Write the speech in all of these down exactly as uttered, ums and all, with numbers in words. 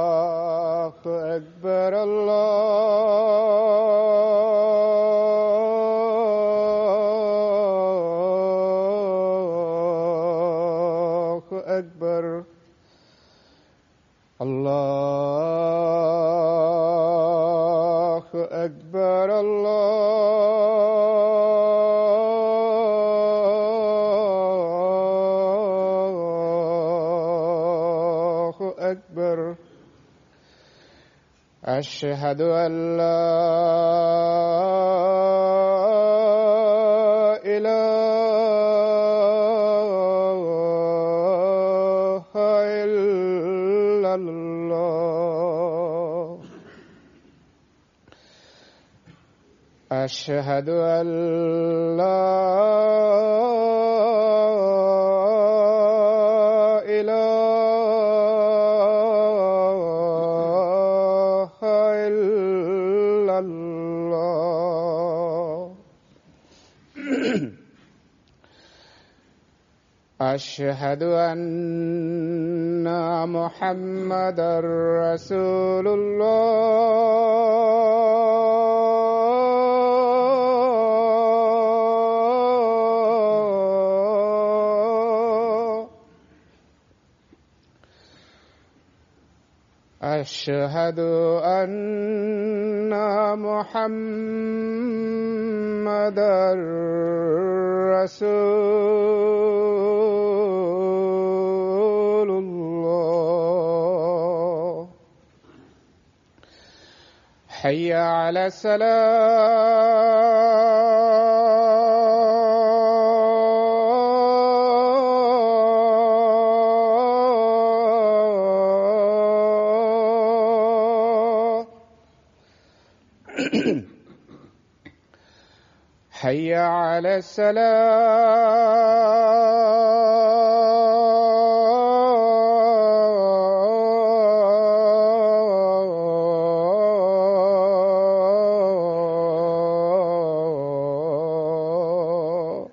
الله أكبر الله أكبر الله أكبر الله أكبر أشهد أن لا إله إلا الله أشهد أن لا إله إلا الله أشهد أن محمدا رسول الله أشهد أن محمدا رسول الله حي على السلام حي على السلام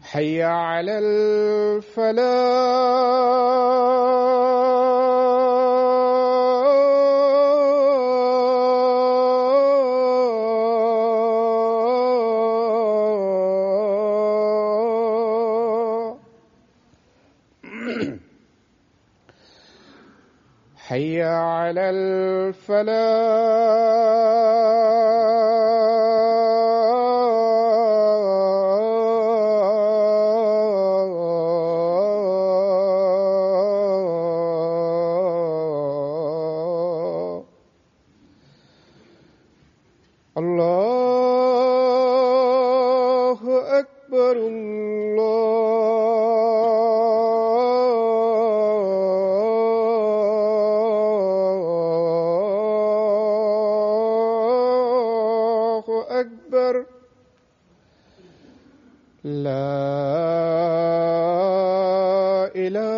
حي على الفلاح حي على الفلاح الله أكبر الله أكبر لا إله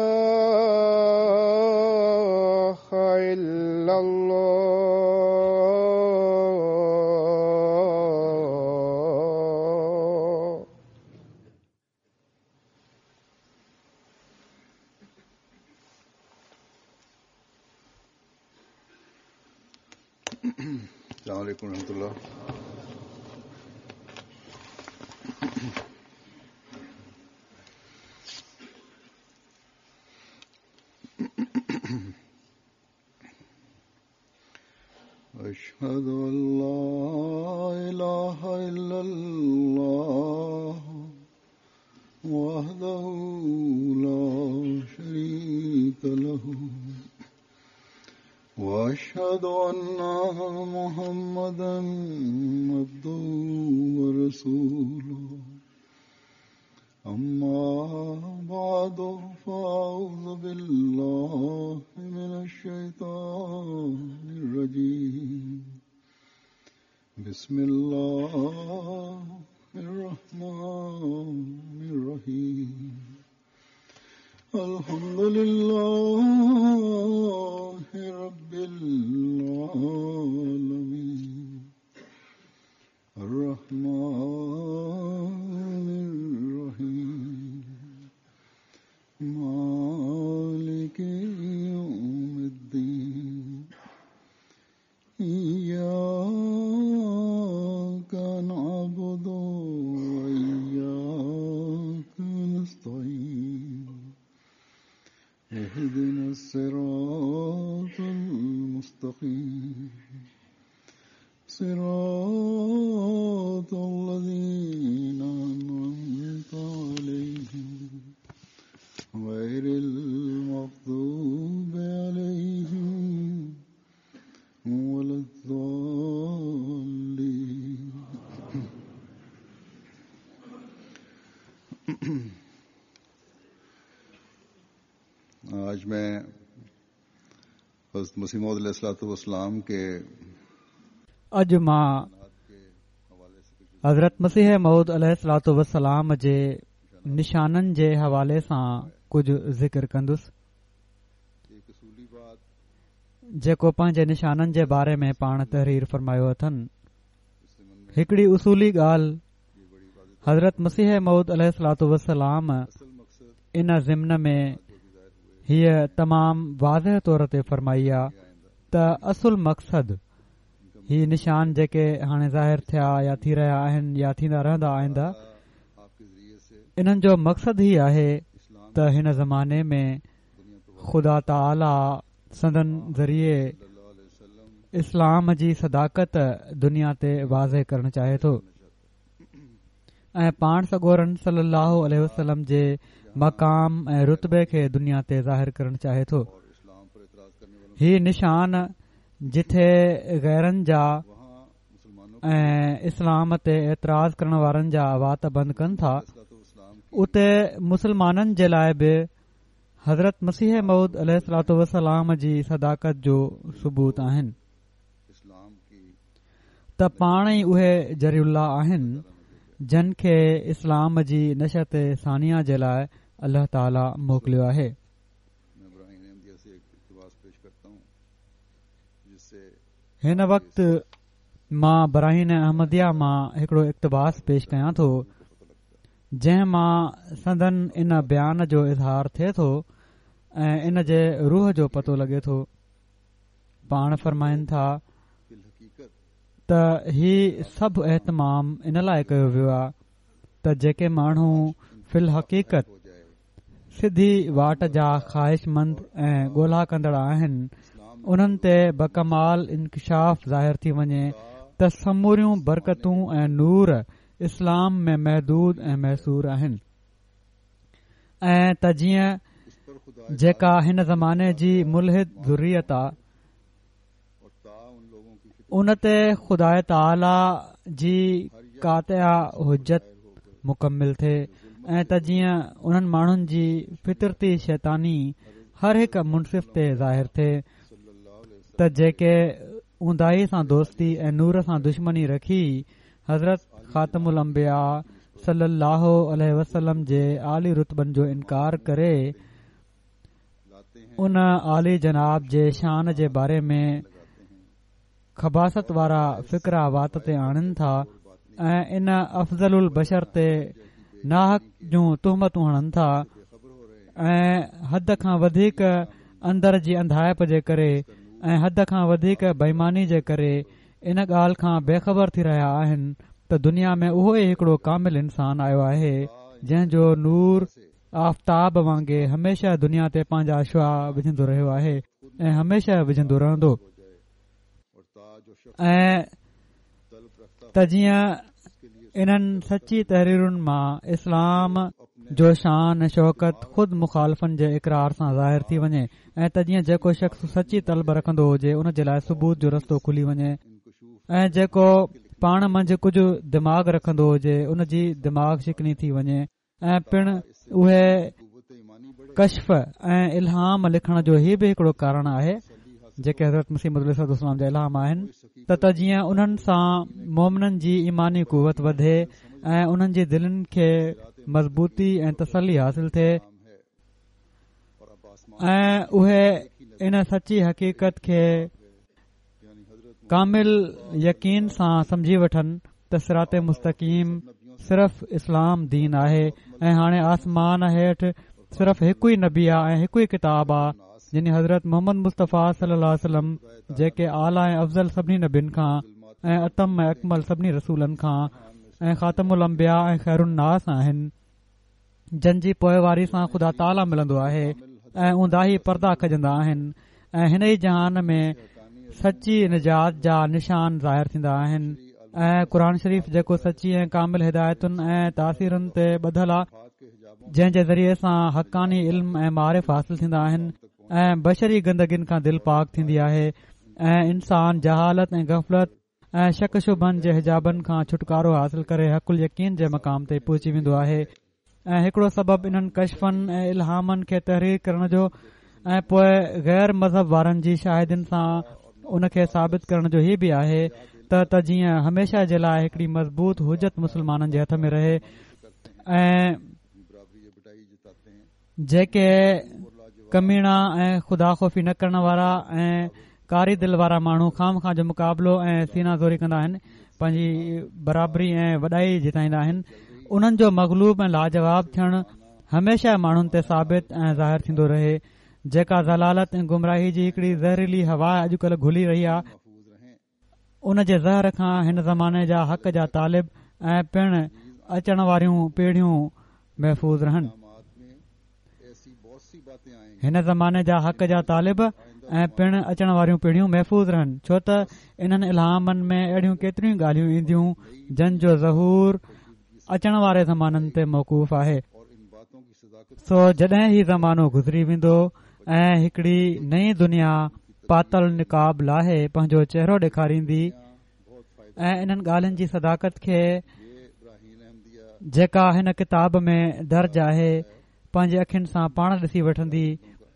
إلا الله السلام عليكم ورحمة الله. أشهد أن لا إله إلا الله وحده لا شريك له وأشهد أن محمدا عبده ورسوله أما بعد فأعوذ بالله من الشيطان الرجيم بسم الله الرحمن الرحيم الحمد لله رب العالمين الرحمن الرحيم مالك يوم الدين إياك نعبد وإياك نستعين اهدنا الصراط المستقيم صراط الذين أنعمت عليهم غير المغضوب عليهم ولا الضالين. آج میں حضرت مسیح موعود علیہ الصلوۃ والسلام کے اڄ مان حضرت مسيح موعود عليه الصلوة والسلام جي نشانن جي حوالي سان ڪجهه ذڪر ڪندس، جيڪو پنهنجي نشانن جي باري ۾ پاڻ تحرير فرمايو اٿن. هڪڙي اصولي ڳالهه حضرت مسيح موعود عليه الصلوة والسلام ان ضمن ۾ هيء تمام واضح طور تي فرمائي آ ته اصل مقصد هي نشان جيڪي هاڻي ظاهر ٿيا يا ٿي رهيا آهن يا ٿيندا رهندا آئنده، انهن جو مقصد هي آهي ته هن زماني ۾ خدا تعاليٰ سندن ذريعي اسلام جي صداقت دنيا تي واضح ڪرڻ چاهي ٿو ۽ پاڻ سڳورن صلي الله عليه وسلم جي مقام ۽ رتبي کي دنيا تي ظاهر ڪرڻ چاهي ٿو. هي نشان جٿي غيرن جا ۽ اسلام تي اعتراض ڪرڻ وارن جا وات بند ڪن ٿا، اتي مسلمانن جي لاءِ به حضرت مسيح موعود عليه الصلوة والسلام جي صداقت جو ثبوت آهن ته پاڻ ئي اهي جري الله آهن جن کي اسلام جي نشأة ثانيه جي لاءِ الله تعاليٰ موڪليو آهي. هن وقت مان براهين احمديه مان هڪڙو اقتباس پيش ڪيان ٿو، جنهن مان سندن ان بيان جو اظهار ٿئي ٿو ۽ ان جي روح جو پتو لڳي ٿو. پاڻ فرمائن ٿا ته هي سڀ اهتمام ان لاءِ ڪيو ويو آهي ته جيڪي ماڻهو في الحقيقت سڌي واٽ جا خواهشمند ۽ ڳولا ڪندڙ آهن، انهن تي بڪمال انڪشاف ظاهر ٿي وڃي ته سموريون برڪتون ۽ نور اسلام ۾ محدود ۽ محصور آهن، ۽ ته جيئن جيڪا هن زماني جي ملحد ذريت آ ان تي خدا تعاليٰ جي قاطع حجت مڪمل ٿئي، ۽ ته جيئن انهن ماڻهن جي فطرتي شيطاني هر هڪ منصف تي ظاهر ٿئي ته جيڪي اونداهي سان دوستي ۽ نور سان دشمني رکي حضرت خاتم الانبياء صلي الله عليه وسلم جي عالي رتبن جو انڪار ڪري ان عالي جناب جي شان جي باري ۾ خباثت وارا فقرا وات تي آڻن ٿا ۽ ان افضل البشر تي ناحق جون تهمتون هڻن ٿا ۽ حد کان وڌيڪ اندر جي انڌائپ جي ڪري ۽ حد کان وڌيڪ بيماني جي ڪري ان ڳالهه کان بيخبر ٿي رهيا آهن ته دنيا ۾ اهو ئي هڪڙو ڪامل انسان آيو آهي جنهن جو نور آفتاب وانگي هميشه دنيا تي پنهنجا شعاع وجهندو رهيو آهي ۽ هميشه وجهندو رهندو، ۽ ته جيئن انهن سچي تحريرن مان اسلام جو شان ۽ شوڪت خود مخالفن جي اقرار سان ظاهر ٿي وڃي، ۽ ته جيئن جيڪو شخص سچي طلب رکندو هجي ان جي لاءِ ثبوت جو رستو کلي وڃي، ۽ جيڪو پاڻ منجهه ڪجهه دماغ رکندو هجي ان جي دماغ شڪني ٿي وڃي، ۽ پڻ اهي ڪشف ۽ الهام لکڻ جو هي به هڪڙو ڪارڻ آهي جيڪي حضرت مسيح موعود عليه الصلوة والسلام جا الهام آهن ته ته جيئن انهن سان مومنن جي ايماني قوت وڌي ۽ انهن جي دلن کي مضبوطي ۽ تسلي حاصل ٿئي، ۽ اهي ان سچي حقيقت کي ڪامل يقين سان سمجهي وٺن ته صراط مستقيم صرف اسلام دين آهي ۽ هاڻي آسمان هيٺ صرف هڪ ئي نبي آ ۽ هڪ ئي ڪتاب آ، يعني حضرت محمد مصطفيٰ صلي الله عليه وسلم، جيڪي اعليٰ ۽ افضل سڀني نبين کان ۽ اتم ۽ اڪمل سڀني رسولن کان ۽ خاتم الانبياء ۽ خير الناس آهن، جن جي پوئواري سان خدا تعاليٰ ملندو آهي ۽ اونداهي پردا کڄندا آهن ۽ هن ئي جهان ۾ سچي نجات جا نشان ظاهر ٿيندا آهن. ۽ قرآن شريف جيڪو سچي ۽ ڪامل هدايتن ۽ تاثيرن تي ٻڌل آ، جنهن جي ذريعي سان حقاني علم ۽ معارف حاصل ٿيندا آهن ۽ بشري گندگين کان دل پاڪ ٿيندي آهي ۽ انسان جهالت ۽ غفلت ۽ شڪ شبهن جي حجابن کان ڇوٽڪارو حاصل ڪري حق اليقين جي مقام تي پهچي ويندو آهي. ۽ هڪڙو سبب انهن ڪشفن ۽ الهامن کي تحرير ڪرڻ جو ۽ پوءِ غير مذهب وارن جي شاهدين سان ان کي ثابت ڪرڻ جو هي به آهي ته ته جيئن هميشه جي لاءِ هڪڙي مضبوط حجت مسلمانن جي هٿ ۾ رهي ۽ جيڪي ڪميڻا ۽ خدا خوفي نه ڪرڻ وارا ۽ ڪاري دل وارا ماڻهو خام خان جو مقابلو ۽ سينا زوري ڪندا آهن، پنهنجي برابري ۽ وڏائي جتائيندا آهن، انهن جو مغلوب ۽ لاجواب ٿيڻ هميشه ماڻهن تي ثابت ۽ ظاهر ٿيندو رهي. جيڪا ضلالت ۽ گمراهي جي هڪڙي زهريلي هوا اڄڪلهه گهلي رهي آهي، ان جي زهر کان هن زماني جا حق جا طالب ۽ پڻ اچڻ واريون پيڙهيون محفوظ رهن. هن زماني جا حق جا طالب ۽ پڻ اچڻ واريون پيڙهيون محفوظ رهن، ڇو ته انهن الهامن ۾ اهڙيون ڪيتريون ڳالهيون اينديون جن جو ظهور اچڻ واري زمانن تي موقوف آهي. سو جڏهن هي زمانو گذري ويندو ۽ هڪڙي نئين دنيا پاتل نقاب لاهي پنهنجو چهرو ڏيکاريندي ۽ انهن ڳالهين جي صداقت کي جيڪا هن ڪتاب ۾ درج آهي پنهنجي اکين سان پاڻ ڏسي وٺندي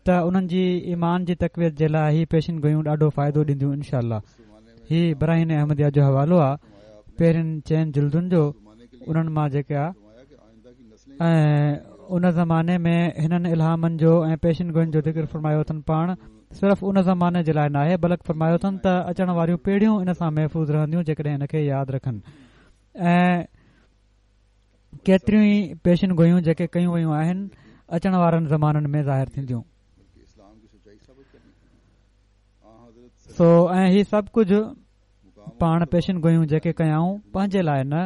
ته انهن جي ايمان جي تقويت جي لاءِ هي پيشن گويون ڏاڍو فائدو ڏينديون انشاء الله. هي براهين احمديه جو حوالو آهي پهرين چئن جلدن جو، انهن مان جيڪي آهي ۽ ان زماني ۾ هنن الهامن جو ۽ پيشن گوين جو ذڪر فرمايو اٿن. پاڻ صرف ان زماني جي لاءِ ناهي بلڪ فرمايو اٿن ته اچڻ واريون پيڙهيون ان سان محفوظ رهنديون جيڪڏهن ان کي ياد رکن. ۽ ڪيتريون ئي پيشن گويون جيڪي ڪيون ويون آهن اچڻ وارن زمانن ۾ ظاهر ٿينديون. سو ۽ هي سڀ ڪجهه پاڻ پيشن گويون جيڪي ڪيائون پنهنجي لاءِ نه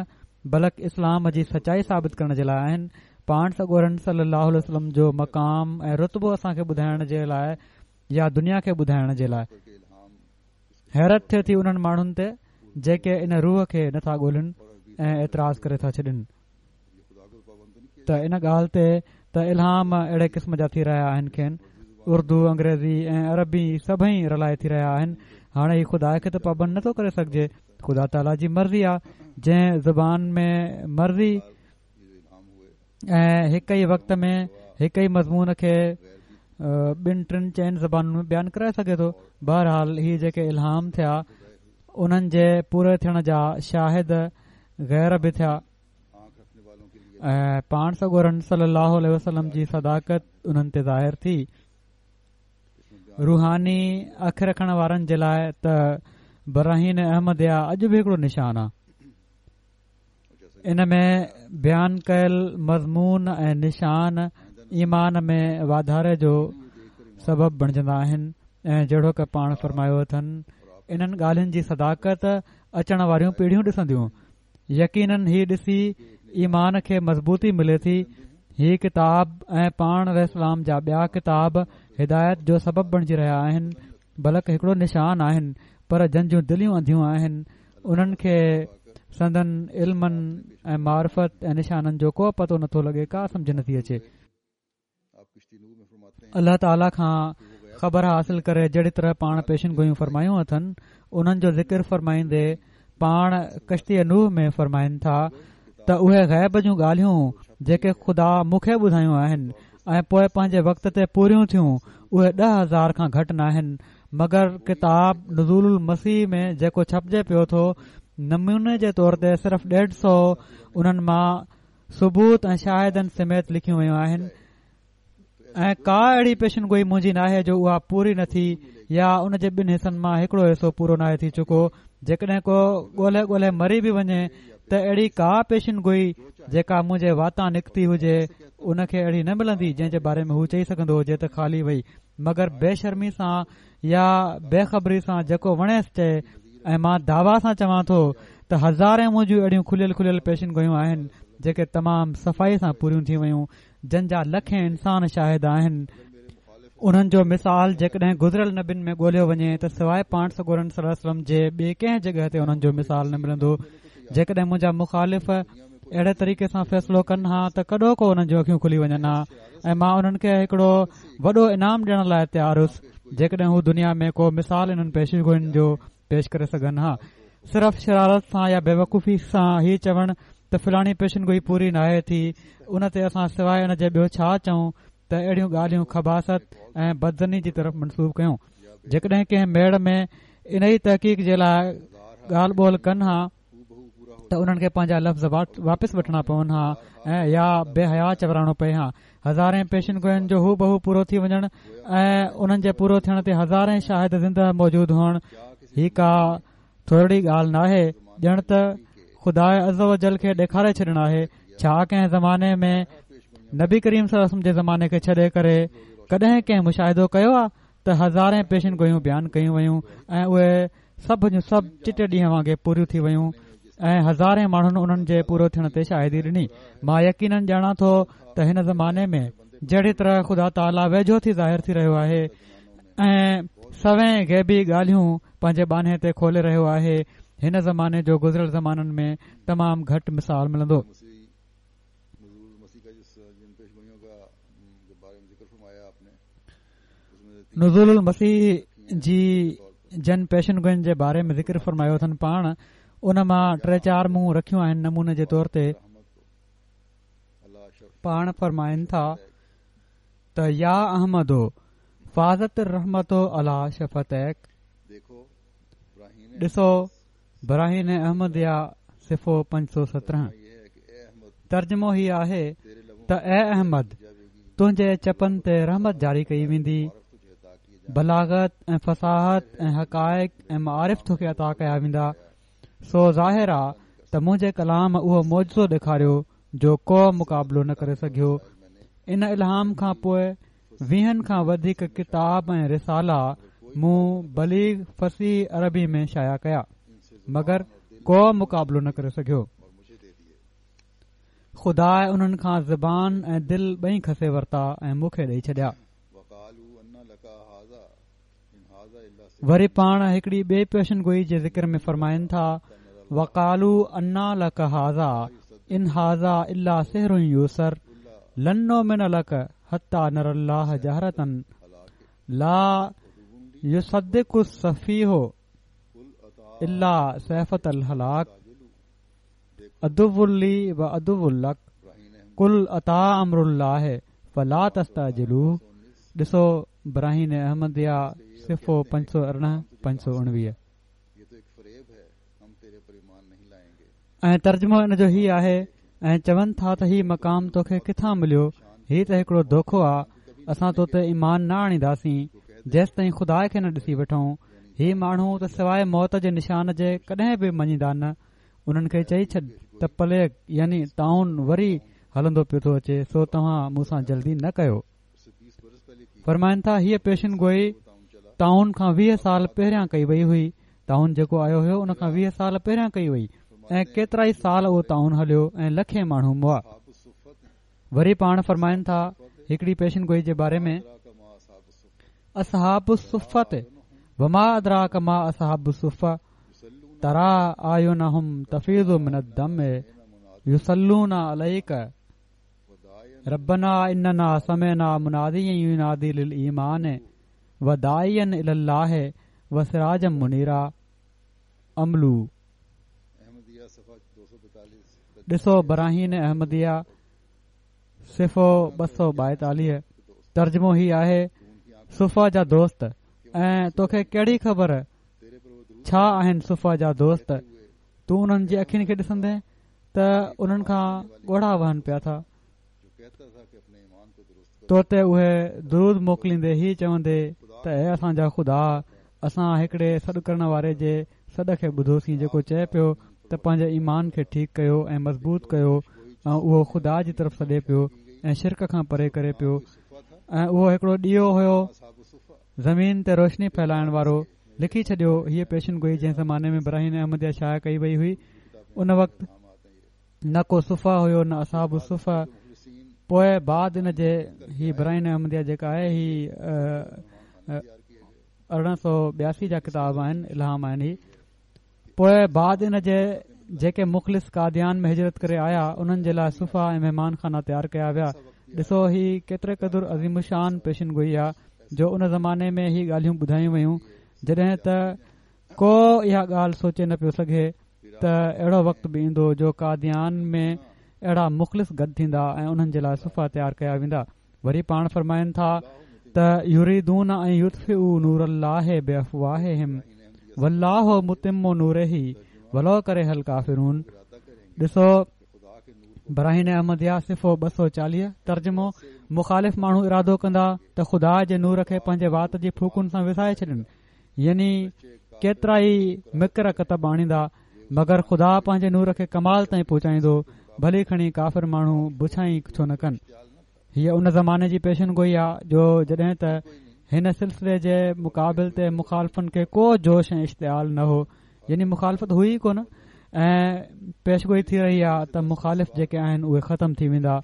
بلڪ اسلام جي سچائي ثابت ڪرڻ جي لاءِ آهن. پاڻ سڳورن صلي الله عليه وسلم جو مقام ۽ رتبو اسان کي ٻڌائڻ جي لاءِ يا دنيا کي ٻڌائڻ جي لاءِ. حيرت ٿئي ٿي انهن ماڻهن تي جيڪي ان روح کي نٿا ڳولهن ۽ اعتراض ڪري ٿا ڇڏن ته ان ڳالهه تي ته الهام اهڙي قسم جا ٿي رهيا آهن، کين اردو، انگريزي ۽ عربي سڀئي رلائي ٿي رهيا آهن. هاڻي هي خدا کي ته پابند نٿو ڪري سگهجي، خدا تعاليٰ جي مرضي آهي جنهن زبان ۾ مرضي ۽ هڪ ئي وقت ۾ هڪ ئي مضمون کي ٻن ٽن چئن زبانن ۾ بيان ڪرائي سگهي ٿو. بهرحال هي جيڪي الهام ٿيا انهن جي پوري ٿيڻ جا شاهد غير به ٿيا ۽ پاڻ سڳورن صلي الله عليه وسلم جي صداقت انهن تي ظاهر ٿي. روحاني اک رکڻ وارن جي لاءِ ته براهين احمديه اڄ به هڪڙو نشان آهي. ان ۾ بيان ڪيل مضمون ۽ نشان ايمان ۾ واڌاري جو سبب بڻجندا آهن. ۽ جهڙوڪ پاڻ فرمايو اٿن انهن ڳالهين جي صداقت اچڻ واريون پيڙهيون ڏسنديون. يقينن هي ڏسي ايمان کي مضبوطي ملي ٿي. هي ڪتاب ۽ پاڻ عليه السلام جا ٻيا ڪتاب هدايت جو سبب بڻجي رهيا آهن، بلڪ هڪڙو نشان آهن. پر جن جون دليون انڌيون آهن انهن کي سندن علمن ۽ معرفت ۽ نشانن جو ڪو پتو نٿو لڳي، ڪا سمجهه نٿي اچي. الله تعاليٰ کان خبر حاصل ڪري جهڙي طرح پاڻ پيشن گويون فرمايون اٿن انهن جو ذڪر فرمائيندي پاڻ ڪشتي نوح ۾ فرمائن ٿا ته اهي غيب جون ڳالهيون جيڪي خدا مون کي ٻڌايون آهن ۽ پوءِ پنهنجي وقت تي پوريون ٿيون اهي ڏهه هزار کان گهٽ ناهن، مگر ڪتاب نزول المسيح ۾ جيڪو ڇپجي پيو ٿو نموني جي طور تي صرف ڏيڍ سؤ انهن مان ثبوت ۽ شاهدن سميت لکيون ويون آهن. ۽ ڪا اهڙي پيشن گوئي منهنجي ناهي جو اها پوري نه ٿي يا ان جي ٻن حصن مان هڪڙو حصو پورو ناهي ٿي چڪو. جيڪڏهن ڪو ڳولهي ڳولهي مري به وڃي ته اهڙي ڪا پيشن گوئي جيڪا منهنجي واتان نڪتي هجي ان کي اهڙي نه ملندي جنهن جي باري ۾ هو چئي سگهندو هجي ته خالي وئي، مگر بي شرمي سان يا بي خبري سان جيڪو وڻيس چئي. ۽ مان دعويٰ سان چوان ٿو ته هزارين منهنجون اهڙيون کليل کليل پيشن گوئيون آهن جيڪي تمام صفائي سان پوريون ٿي ويون، جن جا لکين انسان شاهد آهن. انهن جو مثال جيڪڏهن گذريل نبين ۾ ڳولهيو وڃي ته سواء پاڻ سڳورن صلي الله عليه وسلم جي ٻئي ڪنهن جڳهه تي انهن جو مثال نه ملندو. جيڪڏهن منهنجا مخالف اهڙي طريقي سان فيصلو ڪن ها ته ڪڏهوڪو انهن جون اکيون کلي وڃن ها ۽ مان انهن کي هڪڙو وڏو انعام ڏيڻ لاء تيار هوس جيڪڏهن هو دنيا ۾ ڪو مثال انهن پيشگوئين جو پيش ڪري سگهن ها. صرف شرارت سان يا بيوقوفي سان هي چوڻ ته فلاڻي پيشن گوئي پوري ناهي ٿي، ان تي اسان سواء ان جي ٻيو ڇا چئون ته اهڙيون ڳالهيون خباثت ۽ بدظني جي طرف منسوب ڪيون. جيڪڏهن ڪنهن ميڙ ۾ انهي تحقيق جي لاء ڳالهه ٻولهه ڪن ها ته انهن کي پنهنجا لفظ واپس وٺڻا پون ها ۽ يا بي حيا چورائڻو پئي ها. هزارين پيشن گوئين جو هوبهو پورو ٿي وڃڻ ۽ انهن جي پورو ٿيڻ تي هزارين شاهد زنده موجود هئڻ هي ڪا ٿورڙي ڳالهه ناهي، ڄڻ ته خدا عزوجل کي ڏيکاري ڇڏڻ آهي. ڇا ڪنهن زماني ۾ نبي ڪريم صلي الله عليه وسلم جي زماني کي ڇڏي ڪري ڪڏهن ڪنهن مشاهدو ڪيو آهي ته هزارين پيشن گوئيون بيان ڪيون ويون ۽ اهي سڀ جون سڀ چٽي ڏينهن وانگي پوريون ٿي ويون ۽ هزارين ماڻهن انهن جي پورو ٿيڻ تي شاهدي ڏني. مان يقينن ڄاڻان ٿو ته هن زماني ۾ جهڙي طرح خدا تعاليٰ ويجهو ٿي ظاهر ٿي رهيو آهي ۽ سوين غيبي ڳالهيون پنهنجي ٻانهي تي کولي رهيو آهي، هن زماني جو گذريل زمانن ۾ تمام گهٽ مثال ملندو. نزول المسيح جي جن پيشن گوئين جي باري ۾ ذڪر فرمايو اٿن پاڻ، ان مان ٽي چار مون رکيون آهن نموني جي طور تي. پاڻ فرمائن ٿا ته يا احمد فاضت الرحمت علي شفتيڪ، ڏسو براهين احمديه صفحو پنج سؤ سترهن. ترجمو هي آهي ته اي احمد، تنهنجي چپن تي رحمت جاري ڪئي ويندي، بلاغت ۽ فصاحت ۽ حقائق ۽ معارف توکي عطا ڪيا ويندا. سو ظاهر آ ته منهنجي ڪلام اهو معجزو ڏيکاريو جو ڪو مقابلو نه ڪري سگهيو. ان الهام کان پوء ويهن کان وڌيڪ ڪتاب ۽ رسالا مون بليغ فصيح عربي ۾ شايع ڪيا، مگر ڪو مقابلو نه ڪري سگهيو. خدا انهن کان زبان ۽ دل ٻئي کسي ورتا ۽ مون کي ڏئي ڇڏيا. وري پاڻ هڪڙي ٻئي پيشن گوئي جي ذڪر ۾ فرمائن ٿا، وقالوا انيٰ لڪ هذا ان هذا الا سحر يؤثر لن نؤمن لڪ حتيٰ نري الله جهرة لا يصدق السفيه الا سيفة الهلاك عدو لي وعدو لڪ قل اتيٰ امر الله فلا تستعجلوه. ڏسو براهين احمديه صفحو پنج سؤ ارڙهن پنج سؤ اڻويهه. ۽ ترجمو ان جو هي آهي، ۽ چون ٿا ته هي مقام توکي ڪٿان مليو، هي ته هڪڙو دوکو آ، اسان تو تي ايمان نه آڻينداسين جيستائين خدا کي نه ڏسي وٺون. هي ماڻهو ته سواء موت جي نشان جي ڪڏهن به مڃيندا نه. انهن کي چئي ڇڏ ته پليگ يعني طاعون وري هلندو پيو ٿو اچي، سو توهان مون سان جلدي نه ڪيو. فرمائن ٿا هيء پيشن گوئي طاعون کان ويهه سال پهريان ڪئي وئي هئي. طاعون جيڪو آيو هيو ان کان ويهه سال پهريان ڪئي وئي ۽ ڪيترائي سال اهو طاعون هليو ۽ لکين ماڻهو مئا. وري پاڻ فرمائن ٿا هڪڙي پيشن گوئي جي باري ۾، اصحاب الصفة وما ادراڪ ما اصحاب الصفة ترى اعينهم تفيض من الدم يصلون عليك ربنا اننا سمعنا مناديا ينادي للايمان وداعيا الي الله وسراجا منيرا عملو. ڏسو براهين احمديه صفحو ٻه سؤ ٻائيتاليهه. ترجمو هي آهي، صفه جا دوست، ۽ توکي ڪهڙي خبر ڇا آهن صفه جا دوست؟ تون انهن جي اکين کي ڏسندين ته انهن کان ڳوڙها وهن پيا ٿا. تو تي اهي درود موڪليندي هي چوندي ته اي اسان جا خدا، اسان هڪڙي سڏ ڪرڻ واري جي سڏ کي ٻڌوسين جيڪو چئي پيو ته پنهنجي ايمان کي ٺيڪ ڪيو ۽ مضبوط ڪيو، ۽ اهو خدا جي طرف سڏي پيو ۽ شرڪ کان پري ڪري پيو ۽ اهو هڪڙو ڏيئو هيو زمين تي روشني ڦهلائڻ وارو. لکي ڇڏيو هيءَ پيشن گوئي جنهن زماني ۾ براهين احمديه شايع ڪئي وئي هئي ان وقت نه ڪو صفه هيو نه اصحاب الصفه. پوءِ بعد ان جي هي براهين احمديه جيڪا آهي هي ارڙهن سؤ ٻياسي جا ڪتاب آهن، الهام آهن هي. پوءِ بعد ان جي جيڪي مخلص قاديان ۾ هجرت ڪري آيا انهن جي لاءِ صفه ۽ مهمان خانا تيار ڪيا ويا. ڏسو هي ڪيتري قدر عظيم الشان پيشن گوئي آهي جو ان زماني ۾ هي ڳالهيون ٻڌايون ويون جڏهن ته ڪو اها ڳالهه سوچي نه پيو سگهي ته اهڙو وقت به ايندو جو قاديان ۾ اهڙا مخلص گڏ ٿيندا ۽ انهن جي لاءِ صفه تيار ڪيا ويندا. وري پاڻ فرمائن ٿا ته يريدون ان يطفئوا نور الله بافواههم والله متم نوره ولو ڪره الڪافرون. ڏسو براهين احمديه صفحو ٻه سؤ چاليهه ترجمو، مخالف ماڻهو ارادو ڪندا ته خدا جي نور کي پنهنجي وات جي ڦوڪن سان وسائي ڇڏن، يعني ڪيترا ئي مڪر ڪتب آڻيندا، مگر خدا پنهنجي نور کي ڪمال تائين پهچائيندو، ڀلي کڻي ڪافر ماڻهو بڇائي ڇو نه ڪن. هيءَ ان زماني جي پيشن گوئي آهي جو جڏهن ته هن سلسلي جي مقابل تي مخالفن کي ڪو جوش ۽ اشتعال نه هو، يعني مخالفت هئي ئي ڪونه ۽ پيشگوئي ٿي رهي آهي ته مخالف جيڪي آهن اهي ختم ٿي ويندا.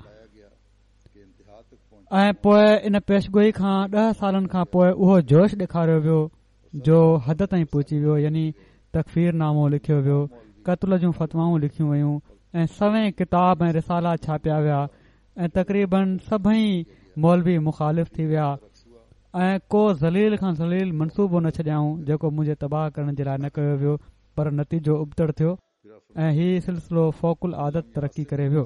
۽ پوءِ ان پيشگوئي کان ڏهه سالن کان پوءِ اهو جوش ڏيکاريو ويو جو حد تائين پهچي ويو، يعني تڪفير نامو لکيو ويو، قتل جون فتوائون لکيون ويون ۽ سوين ڪتاب ۽ رسالا ڇاپيا ويا ۽ تقريبن سڀئي مولوي مخالف ٿي ويا ۽ ڪو ذليل کان ذليل منصوبو نه ڇڏيائون جيڪو منهنجي تباهه ڪرڻ جي لاءِ نه ڪيو ويو، پر نتيجو ابتڙ ٿيو ۽ هي سلسلو فوق العادت ترقي ڪري ويو.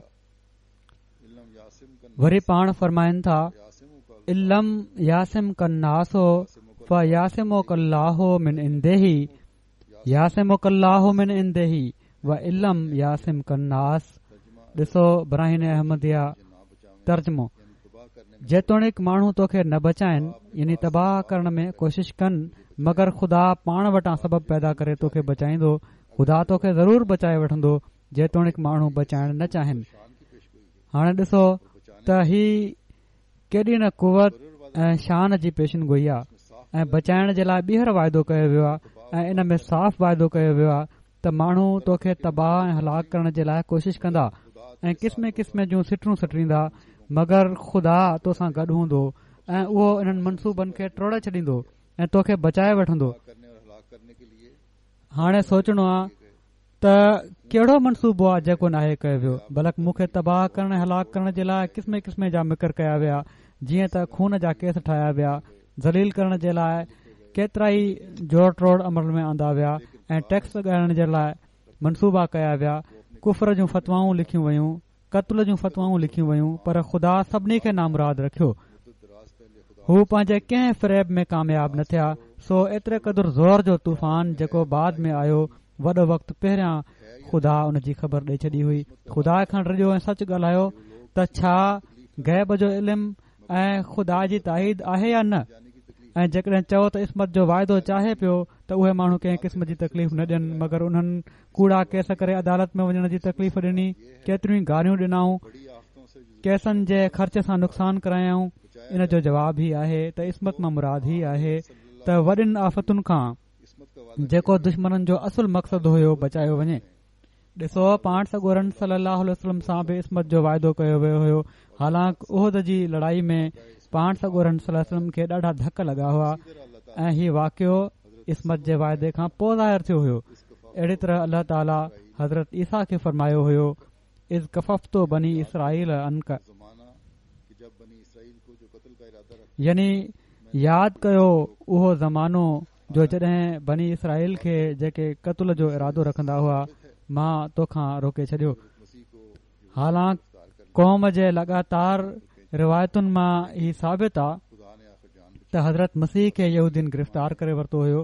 وري پاڻ فرمائن ٿا علم يعصمک الناس فيعصمک الله من عنده يعصمک الله من عنده وعلم يعصمک الناس. ڏسو براهين احمديه ترجمو، جيتوڻيڪ ماڻهو توکي نه بچائن يعني تباهه ڪرڻ ۾ ڪوشش ڪن، مگر خدا پاڻ وٽان سبب پيدا ڪري توکي بچائيندو، خدا توکي ضرور بچائي وٺندو جيتوڻيڪ ماڻهو بچائڻ نه چاهين. هاڻي ڏسو ته هي ڪيڏي نه قوت ۽ شان جي پيشن گوئي آهي ۽ بچائڻ جي لاءِ ٻيهر واعدو ڪيو ويو آهي ۽ ان ۾ صاف واعدو ڪيو ويو آهي ته ماڻهو توکي تباهه ۽ هلاڪ ڪرڻ جي لاءِ ڪوشش ڪندا ۽ قسم قسم جون سٽرون سٽريندا، مگر خدا تو سان گڏ هوندو ۽ اهو انهن منصوبن کي ٽوڙي ڇڏيندو ۽ توکي بچائي وٺندو. هاڻي سوچڻو آهي ته ڪهڙو منصوبو آهي جيڪو ناهي ڪيو ويو، بلڪ مون کي تباهه ڪرڻ ۽ هلاڪ ڪرڻ جي لاءِ قسم قسم جا مڪر ڪيا ويا، جيئن ته خون جا ڪيس ٺاهيا ويا، ذليل ڪرڻ جي لاءِ ڪيترا ئي جوڙ ٽوڙ عمل ۾ آندا ويا ۽ ٽيڪس لڳائڻ جي لاءِ منصوبا ڪيا ويا، ڪفر جون فتوائون لکيون ويون، قتل جون فتوائون لکيون ويون، پر خدا سڀني کي نامراد رکيو. هو پنهنجي ڪنهن فريب ۾ ڪامياب نه ٿيا. سو ايتري قدر زور جو طوفان جيڪو بعد ۾ آيو، وڏو وقت پهريان خدا ان جي خبر ڏئي ڇڏي هئي. خدا کان ڊڄو ۽ سچ ڳالهايو ته ڇا غيب جو علم ۽ خدا جي تائيد آهي يا نه؟ ۽ جيڪڏهن چئو ته عصمت جو واعدو چاهي پيو ته اهي ماڻهو ڪنهن قسم جي تڪليف نه ڏين، مگر انهن ڪوڙا ڪيس ڪري عدالت ۾ وڃڻ جي تڪليف ڏني، ڪيتريون ئي گاريون ڏنائون، ڪيسن جي خرچ سان نقصان ڪرايائون. ان جو جواب هي آهي ته عصمت مان مراد هي آهي ته وڏين آفتن کان جيڪو دشمنن جو اصل مقصد هيو بچايو وڃي. ڏسو پاڻ سڳورن صلي الله عليه وسلم سان به عصمت جو واعدو ڪيو ويو هيو، حالانڪ احد جي لڙائي ۾ پاڻ سڳورن صلي الله عليه وسلم کي ڏاڍا ڌڪ لڳا هئا ۽ هي واقعو عصمت جي واعدي کان پوءِ ظاهر ٿيو هيو. اهڙي طرح الله تعاليٰ حضرت عيسيٰ کي فرمايو هيو اذ ڪففت بني اسرائيل عنڪ، يعني ياد ڪيو اهو زمانو جو جڏهن بني اسرائيل کي جيڪي قتل جو ارادو رکندا هئا مان توکان روڪي ڇڏيو. حالانڪ قوم جي لڳاتار روايتن مان هي ثابت آ ته حضرت مسيح کي يهودين گرفتار ڪري ورتو هيو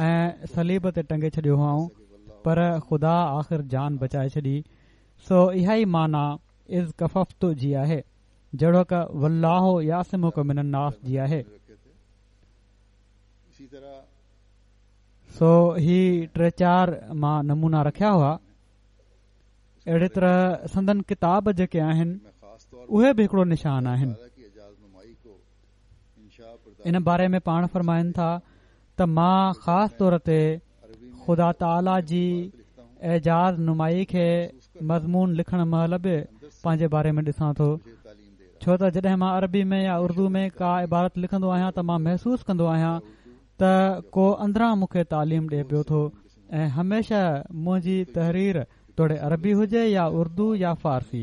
۽ صليب تي ٽنگي ڇڏيو هئائون، پر خدا آخر جان بچائي ڇڏي. سو اها ئي معنيٰ اذ ڪففت جي آهي، جهڙوڪ والله يعصمک من الناس جي آهي. سو هي ٽي چار مان نمونا رکيا هئا. اهڙي طرح سندن ڪتاب جيڪي آهن اهي به هڪڙو نشان آهن. ان باري ۾ پاڻ فرمائن ٿا ته مان خاص طور تي خدا تعاليٰ جي اعجاز نمائي کي مضمون لکڻ مهل به پنهنجي باري ۾ ڏسان ٿو، ڇو ته جڏهن مان عربي ۾ يا اردو ۾ ڪا عبارت لکندو آهيان ته مان محسوس ڪندو آهيان ته ڪو اندران مون کي تعليم ڏئي پيو ٿو ۽ هميشه منهنجي تحرير توڙي عربي هجي يا اردو يا فارسي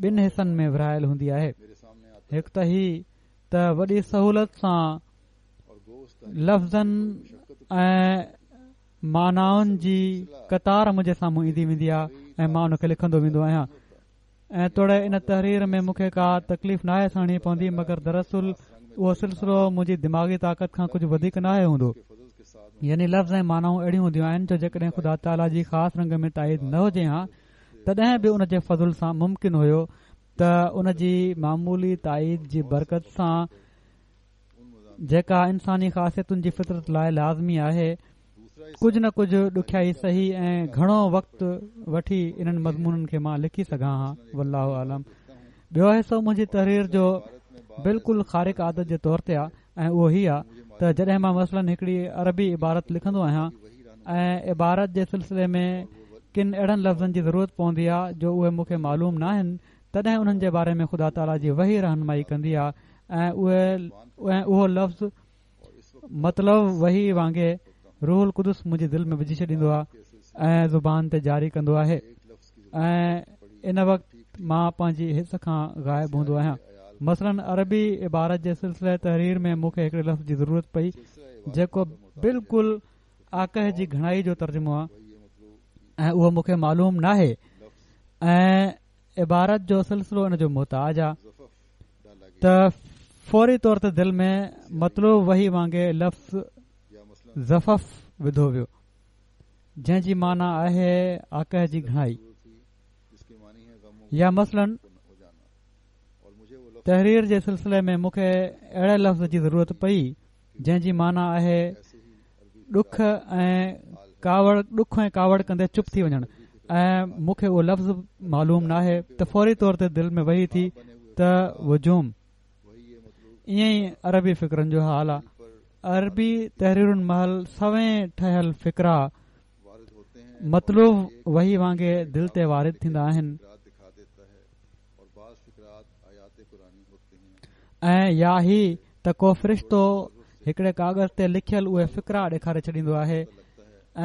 ٻن حصن ۾ ورهايل هوندي آهي. هڪ ته هي ته وڏي سهولت سان لفظن ۽ معنائن جي قطار منهنجي سامهون ايندي ويندي آهي ۽ مان ان کي لکندو ويندو آهيان ۽ توڙي ان تحرير ۾ مون کي ڪا تڪليف ناهي سهڻي پوندي، مگر دراصل اهو سلسلو منهنجي دماغي طاقت کان ڪجهه وڌيڪ ناهي هوندو. يعني لفظ ۽ معنائون اهڙيون هونديون آهن جو جيڪڏهن خدا تعاليٰ جي خاص رنگ ۾ تائيد نه هجي ها تڏهن به ان جي فضل سان ممڪن هيو ته ان جي معمولي تائيد جي برڪت سان، جيڪا انساني خاصيتن جي فطرت لاءِ لازمي آهي، ڪجهه نه ڪجهه ڏکيائي سهي ۽ گهڻو وقت وٺي انهن مضمونن کي مان لکي سگهان ها. والله اعلم. ٻيو حصو منهنجي تحرير جو بلڪل خارق عادت جي طور تي آهي ۽ اهو هي آهي ته جڏهن مان مثلاً هڪڙي عربي عبارت لکندو آهيان ۽ عبارت جي سلسلي ۾ ڪن اهڙن لفظن جي ضرورت پوندي آهي جو اهي مون کي معلوم نه آهن، تڏهن انهن جي باري ۾ خدا تعاليٰ جي وحي رهنمائي ڪندي آهي ۽ اهي اهو لفظ مطلع وحي وانگي روح القدس منهنجي دل ۾ وجهي ڇڏيندو آهي ۽ زبان تي جاري ڪندو آهي ۽ ان وقت مان پنهنجي حس کان غائب هوندو آهيان. مثلاً عربي عبارت جي سلسله تحرير ۾ مون کي هڪڙي لفظ جي ضرورت پئي جيڪو بلڪل آڪهه جي گهڻائي جو ترجمو آهي ۽ اهو مون کي معلوم ناهي ۽ عبارت جو سلسلو ان جو محتاج آهي ته فوري طور تي دل ۾ مطلوع وحي وانگي لفظ زفف وڌو ويو، جنهن جي معنيٰ آهي آڪهه جي گهڻائي. يا مثلاً تحرير جي سلسلي ۾ مون کي اهڙي لفظ جي ضرورت پئي جنهن جي معنيٰ آهي ڏک ۽ ڪاوڙ، ڏک ۽ ڪاوڙ ڪندي چپ ٿي وڃڻ ۽ مون کي اهو لفظ معلوم ناهي ته فوري طور تي دل ۾ وحي ٿي ته وجوم. ائين ئي عربي فقرن جو حال آهي. عربي تحريرن مهل سوين ٺهيل فقرا مطلوع وحي وانگي دل تي وارد ٿيندا آهن ۽ يا هي ته ڪو فرشتو هڪڙي ڪاغذ تي لکيل اهي فقرا ڏيکاري ڇڏيندو آهي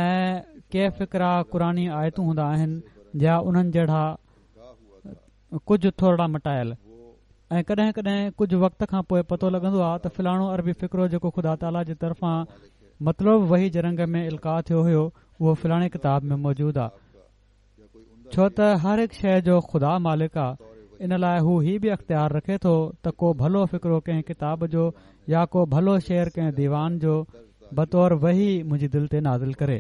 ۽ ڪي فقرا قرآني آيتون هوندا آهن يا انهن جهڙا ڪجهه ٿورڙا مٽايل، ۽ ڪڏهن ڪڏهن ڪجهه وقت کان پوءِ پتو لڳندو آهي ته فلاڻو عربي فقرو جيڪو خدا تعاليٰ جي طرفان مطلوع وحي جي رنگ ۾ القاء ٿيو هيو اهو فلاڻي ڪتاب ۾ موجود آهي. ڇو ته هر هڪ شيءِ جو خدا مالڪ آهي، ان لاءِ هو هي به اختيار رکي ٿو ته ڪو ڀلو فقرو ڪنهن ڪتاب جو يا ڪو ڀلو شعر ڪنهن ديوان جو بطور وحي منهنجي دل تي نازل ڪري.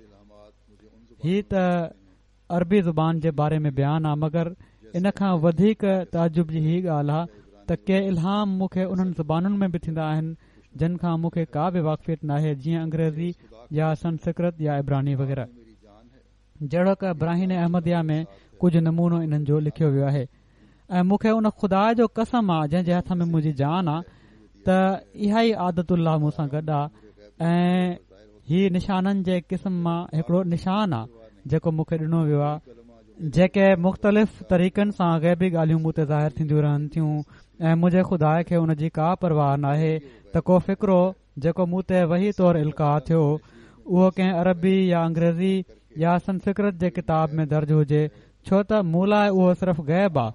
هي ته عربي زبان جي باري ۾ بيان آ، مگر ان کان وڌيڪ تعجب جي هي ڳالهه آ ته ڪي الهام مون کي انهن زبانن ۾ به ٿيندا آهن جن کان مون کي ڪا به واقفيت ناهي، جيئن انگريزي يا سنسڪرت يا عبراني وغيره. جهڙوڪ براهين احمديه ۾ ڪجهه نمونو انهن جو لکيو ويو آهي. ۽ مون کي ان خدا جو قسم آ جنهن جي هٿ ۾ منهنجي جان آ ته اها ئي عادت الله مون سان گڏ آ ۽ هي نشانن جي قسم مان هڪڙو نشان آ جيڪو مون کي ڏنو ويو آ، جيڪي مختلف طريقن سان غيبي ڳالهيون مون تي ظاهر ٿينديون رهن ٿيون ۽ منهنجي خدا کي ان جي ڪا پرواهه ناهي ته ڪو فقرو جيڪو مون تي وحي طور القاء ٿيو اهو ڪنهن عربي يا انگريزي يا سنسڪرت جي ڪتاب ۾ درج هجي، ڇو ته مون لاءِ اهو صرف غيب آ.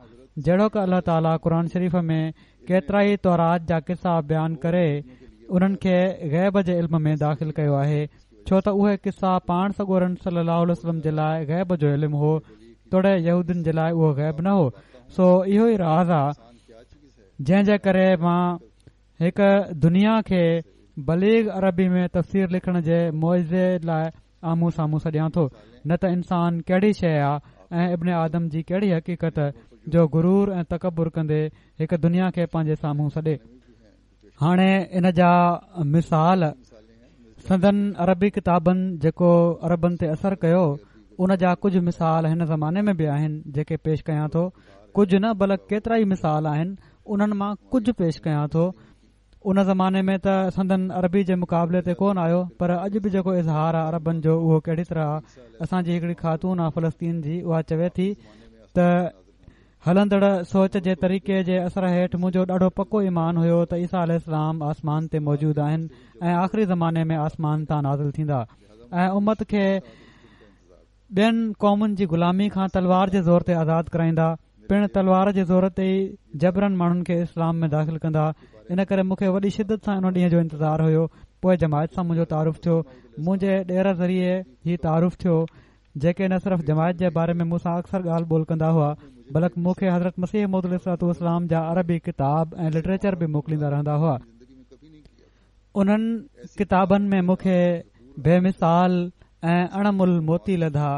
جهڙوڪ الله تعاليٰ قرآن شريف ۾ ڪيترائي تورات جا قصا بيان ڪري انهن کي غيب جي علم ۾ داخل ڪيو آهي، ڇو ته اهي قصا پاڻ سڳورن صلي الله عليه وسلم جي لاءِ غيب جو علم هو، توڙي يهودين جي لاءِ اهو غيب نه هو. سو اهو ئي راز آ جنهن جي ڪري مان هڪ دنيا کي بليغ عربي ۾ تفسير لکڻ جي معجزي لاءِ آمهون سامهون سڏيان ٿو. نه ته انسان ڪهڙي شيءِ آ ۽ ابن آدم جي ڪهڙي حقيقت جو غرور ۽ تڪبر ڪندي هڪ دنيا کي پنهنجي سامهون سڏي. هاڻي ان جا مثال سندن عربي ڪتابن جيڪو عربن تي اثر ڪيو ان جا ڪجهه مثال هن زماني ۾ به آهن جيڪي پيش ڪيان ٿو ڪجهه نه بلڪ ڪيترا ئي مثال آهن، انهن مان ڪجهه پيش ڪيان ٿو. ان زماني ۾ ته سندن عربي جي مقابلي تي ڪونه آيو، پر اڄ به جيڪو اظهار آهي عربن جو اهو ڪهڙي طرح آهي. اسان جي هڪڙي خاتون آهي فلسطين جي، اها چوي ٿي ته هلندڙ سوچ جي طريقي جي اثر هيٺ منهنجو ڏاڍو پڪو ايمان هيو ته عيسيٰ عليه السلام آسمان تي موجود آهن ۽ آخري زماني ۾ آسمان تان نازل ٿيندا ۽ امت کي ٻين قومن جي غلامي کان تلوار جي زور تي آزاد ڪرائيندا، پڻ تلوار جي زور تي ئي جبرن ماڻهن کي اسلام ۾ داخل ڪندا. ان ڪري مون کي وڏي شدت سان ان ڏينهن جو انتظار هيو. پوءِ جماعت سان منهنجو تعارف ٿيو، منهنجي ڏير ذريعي هي تعارف ٿيو، جيڪي نه صرف جماعت جي باري ۾ مون سان اڪثر ڳالهه ٻولهه ڪندا هئا، بلڪ مون کي حضرت مسيح موعود عليه الصلوة والسلام جا عربي ڪتاب ۽ لٽريچر به موڪليندا رهندا هئا. انهن ڪتابن ۾ مون کي بي مثال ۽ اڻمل موتي لڌا.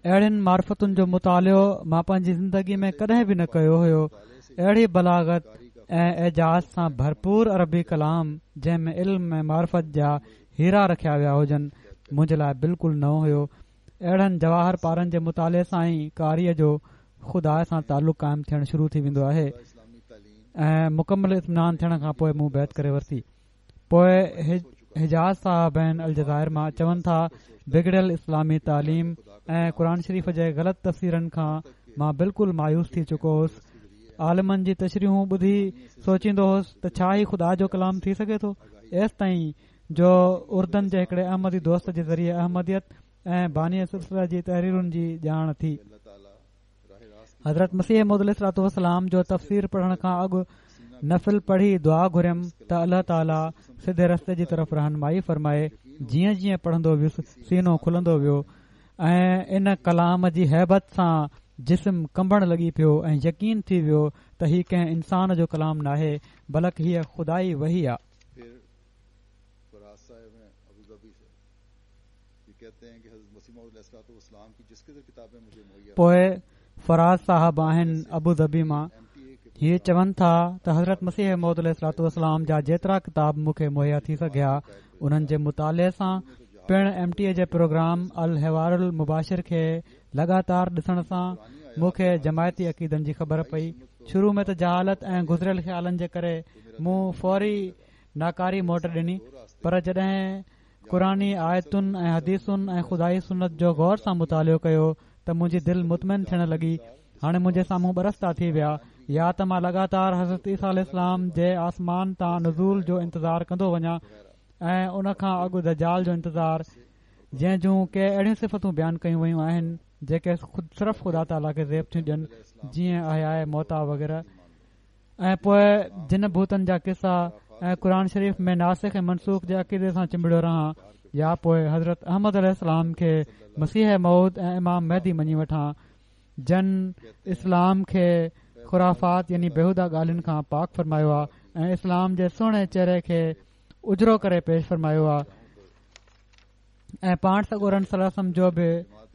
اهڙين معرفتن جو مطالعو مان پنهنجي زندگي ۾ ڪڏهن به نه ڪيو هيو. اهڙي بلاغت ۽ اعجاز سان ڀرپور عربي ڪلام جنهن ۾ علم ۽ معرفت جا هيرا رکيا ويا هجن، منهنجي لاءِ بلڪل نئون هيو. اهڙن جواهر پارن جي مطالعي سان ئي قاريءَ جو خدا سان تعلق قائم ٿيڻ شروع ٿي ويندو آهي ۽ مڪمل اطمينان ٿيڻ کان پوءِ مون بيعت ڪري ورتي. پوءِ حجاز صاحب آهن الجزائر مان، چون ٿا بگڙيل اسلامي تعليم ۽ قرآن شريف جي غلط تفسيرن کان مان بلڪل مايوس ٿي چڪو هوس. عالمن جي تشريحون ٻڌي سوچيندو هوس ته ڇا هي خدا جو ڪلام ٿي سگهي ٿو؟ ايستائين جو اردن جي هڪڙي احمدي دوست جي ذريعي احمديت ۽ باني سلسله جي تحريرن جي ڄاڻ ٿي. حضرت مسيح موعود عليه الصلوة والسلام جو تفسير پڙهڻ کان اڳ نفل پڙهي دعا گهريم ته الله تعاليٰ سڌي رستي جي طرف رهنمائي فرمائي. جيئن جيئن پڙهندو ويس سينو کلندو ويو ۽ ان ڪلام جي هيبت سان جسم ڪنبڻ لڳي پيو ۽ يقين ٿي ويو ته هي ڪنهن انسان جو ڪلام ناهي بلڪ هيءَ خدائي وحي آهي. پوءِ فراز صاحب آهن ابو ظبي مان، هيءَ چون ٿا ته حضرت مسيح موعود عليه الصلوة والسلام جا جيترا ڪتاب مون کي مهيا ٿي سگهيا انهن جي مطالعي سان، پڻ ايم ٽي اي جي پروگرام الحوار المباشر کي لڳاتار ڏسڻ سان مون کي جماعتي عقيدن جي خبر پئي. شروع ۾ ته جهالت ۽ گذريل خيالن جي ڪري مون فوري ناڪاري موٽ ڏني، پر جڏهن قرآني آيتن ۽ حديثن ۽ خدائي سنت جو غور سان مطالعو ڪيو ته منهنجي دل مطمئن ٿيڻ لڳي. هاڻي منهنجي سامهون ٻه رستا ٿي ويا، يا ته مان لڳاتار حضرت عيسيٰ عليه السلام جي آسمان تان نزول جو انتظار ڪندو وڃان ۽ ان کان اڳ دجال جو انتظار، جنهن جون ڪي اهڙيون صفتون بيان ڪيون ويون آهن جيڪي خود صرف خدا تعاليٰ کي زيب ٿيون ڏين، جيئن احياءِ موتيٰ وغيره، ۽ پوءِ جن ڀوتن جا قصا ۽ قرآن شريف ۾ ناسخ ۽ منسوخ جي عقيدي سان چنبڙيو رهان، يا پوءِ حضرت احمد عليه السلام کي مسيح موعود ۽ امام مهدي مڃي وٺان، جن اسلام کي خرافات يعني بيهوده ڳالهين کان پاڪ فرمايو آهي ۽ اسلام جي سهڻي چهري کي اجرو ڪري پيش فرمايو آهي ۽ پاڻ سڳورن صلي الله عليه وسلم جو به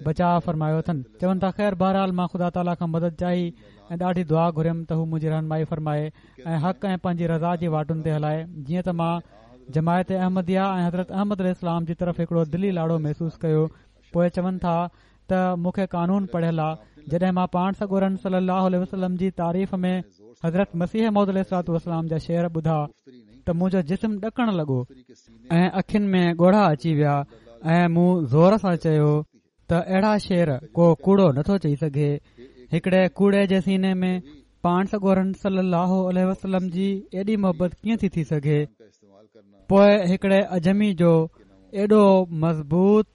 بچاءُ فرمايو اٿن. چون ٿا خير بهرحال مان خدا تعاليٰ کان مدد چاهي ۽ ڏاڍي دعا گهريم ته هو منهنجي رهنمائي فرمائي ۽ حق ۽ پنهنجي رضا جي واٽن تي هلائي. جيئن ته مان جماعت احمديه ۽ حضرت احمد عليه السلام جي طرف هڪڙو دلي لاڙو محسوس ڪيو. پوءِ چون ٿا ته مون کي قانون پڙهيل آ، جڏهن مان پاڻ سڳورن صلي الله عليه وسلم جي تعريف ۾ حضرت مسيح موعود عليه الصلوة والسلام جا شعر ٻڌا ته منهنجو جسم ڏڪڻ لڳو ۽ اکين ۾ ڳوڙها اچي ويا ۽ مون زور سان چيو ته اهڙا شعر ڪو ڪوڙو نٿو چئي سگهي. هڪڙي ڪوڙي جي سيني ۾ پاڻ سڳورن صلي الله عليه وسلم جي ايڏي محبت ڪيئن ٿي ٿي سگهي؟ پوءِ هڪڙي عجمي جو ايڏو مضبوط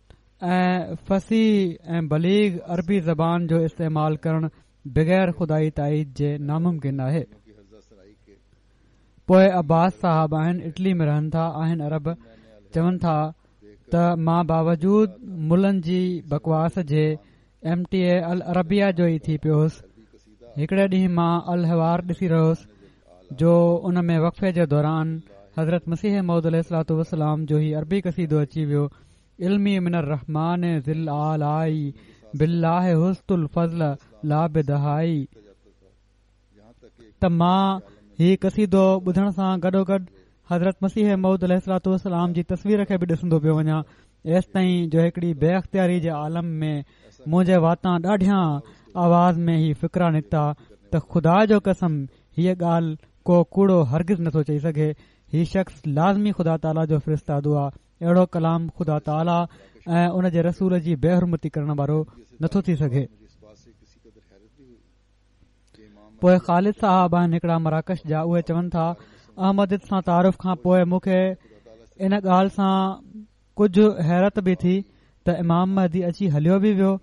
۽ فصيح ۽ بليغ عربي زبان جو استعمال ڪرڻ بغير خدائي تائيد جي ناممڪن آهي. پوءِ عباس صاحب آهن، اٽلي ۾ رهن ٿا، آهن عرب. چون ٿا ته مان باوجود ملن جي بڪواس جي ايم ٽي اي العربيه جو ئي ٿي پيو هوس. هڪڙي ڏينهن مان الحوار ڏسي رهيو هوس جو ان ۾ وقفي جي دوران حضرت مسيح موعود عليه الصلوة والسلام جو هي عربي قصيدو اچي ويو، علمي من الرحمن ذي الآلاء بالله حست الفضل لا بدهائي. ته مان هي قصيدو ٻڌڻ سان گڏوگڏ حضرت مسيح موعود عليه الصلوة والسلام جي تصوير کي به ڏسندو پيو وڃان، ايستائين جو هڪڙي بي اختياري جي عالم ۾ منهنجي واتان ڏاڍيان آواز ۾ هي فقرا نڪتا، ته خدا جو قسم هيءَ ڳالهه ڪو ڪوڙو هرگز نٿو چئي سگهي. هي شخص لازمي خدا تعاليٰ جو فرستادو آهي. اهڙو ڪلام خدا تعاليٰ ۽ ان جي رسول جي بيحرمتي ڪرڻ وارو نٿو ٿي سگهي. پوءِ خالد صاحب آهن هڪڙا مراڪش جا، اهي چون ٿا احمديت سان تعارف کان پوءِ مون کي ان ڳالهه سان ڪجهه حيرت به ٿي ته امام مهدي اچي هليو به ويو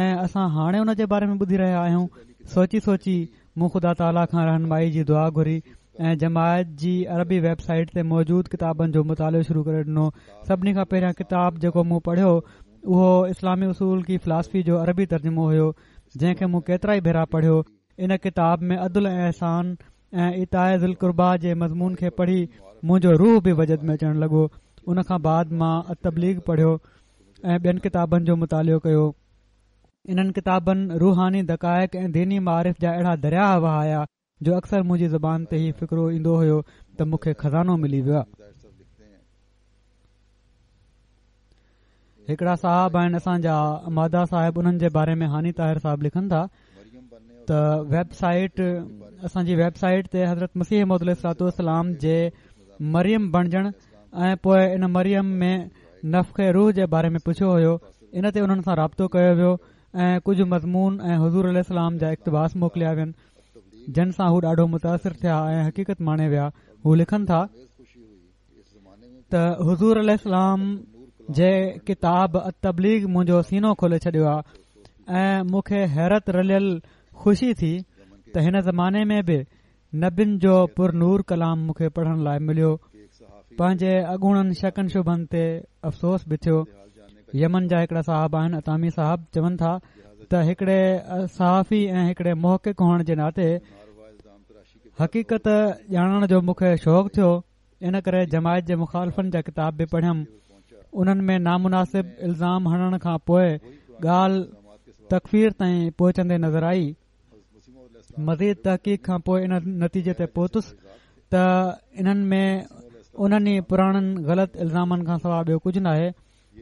۽ اسان هاڻي ان جي باري ۾ ٻڌي رهيا آهيون. سوچي سوچي مون خدا تعاليٰ کان رهنمائي جي دعا گهري ۽ جماعت جي عربي ويب سائيٽ تي موجود ڪتابن جو مطالعو شروع ڪري ڏنو. سڀني کان پهريان ڪتاب جيڪو مون پڙهيو اهو اسلامي اصول ڪي فلاسفي جو عربي ترجمو هيو، جنهن کي مون ڪيترا ئي ڀيرا پڙهيو. ان ڪتاب ۾ عدل ۽ احسان ۽ ايتاءِ ذي القربيٰ جي مضمون کي پڙهي منهنجو روح به وجد ۾ اچڻ لڳو. ان کان بعد مان التبليغ پڙهيو ۽ ٻين ڪتابن جو مطالعو ڪيو. انهن ڪتابن روحاني دقائق ۽ ديني معارف جا اهڙا درياهه وهايا جو اڪثر منهنجي زبان تي هي فڪرو ايندو هيو ته مون کي خزانو ملي ويو آهي. هڪڙا صاحب آهن اسان جا مادا صاحب، انهن جي باري ۾ هاني طاهر صاحب لکن ٿا ته ويب سائيٽ اسان جي ويب سائيٽ تي حضرت مسيح موعود عليه الصلوة والسلام جي مريم بڻجڻ ۽ پوءِ ان مريم ۾ نفخ روح جي باري ۾ پڇيو هيو. ان تي انهن سان رابطو ڪيو ويو ۽ ڪجهه مضمون ۽ حضور عليه السلام جا اقتباس موڪليا وين، جن سان هو ڏاڍو متاثر ٿيا ۽ حقيقت ماڻي ويا. هو لکن ٿا ته حضور عليه السلام جي ڪتاب التبليغ منهنجو سينو کولي ڇڏيو آهي ۽ مون کي حيرت رليل خوشي ٿي ته هن زماني ۾ به نبين جو پرنور ڪلام مون کي پڙهڻ لاءِ مليو. پنهنجي اڳوڻن شڪن شبن تي افسوس به ٿيو. يمن جا هڪڙا صاحب آهن اتامي صاحب، چون ٿا ته هڪڙي صحافي ۽ هڪڙي محقق هئڻ جي ناتي حقيقت ڄاڻڻ جو مون کي شوق ٿيو. ان ڪري جماعت جي مخالفن جا ڪتاب به پڙهيم. انهن ۾ نامناسب الزام هڻڻ کان پوءِ ڳالهه تڪفير تائين پهچندي نظر آئي. مزيد تحقيق کان پوءِ ان نتيجي تي پهتس ته انهن ۾ انهن ئي پراڻن غلط الزامن کان سواءِ ٻيو ڪجهه ناهي.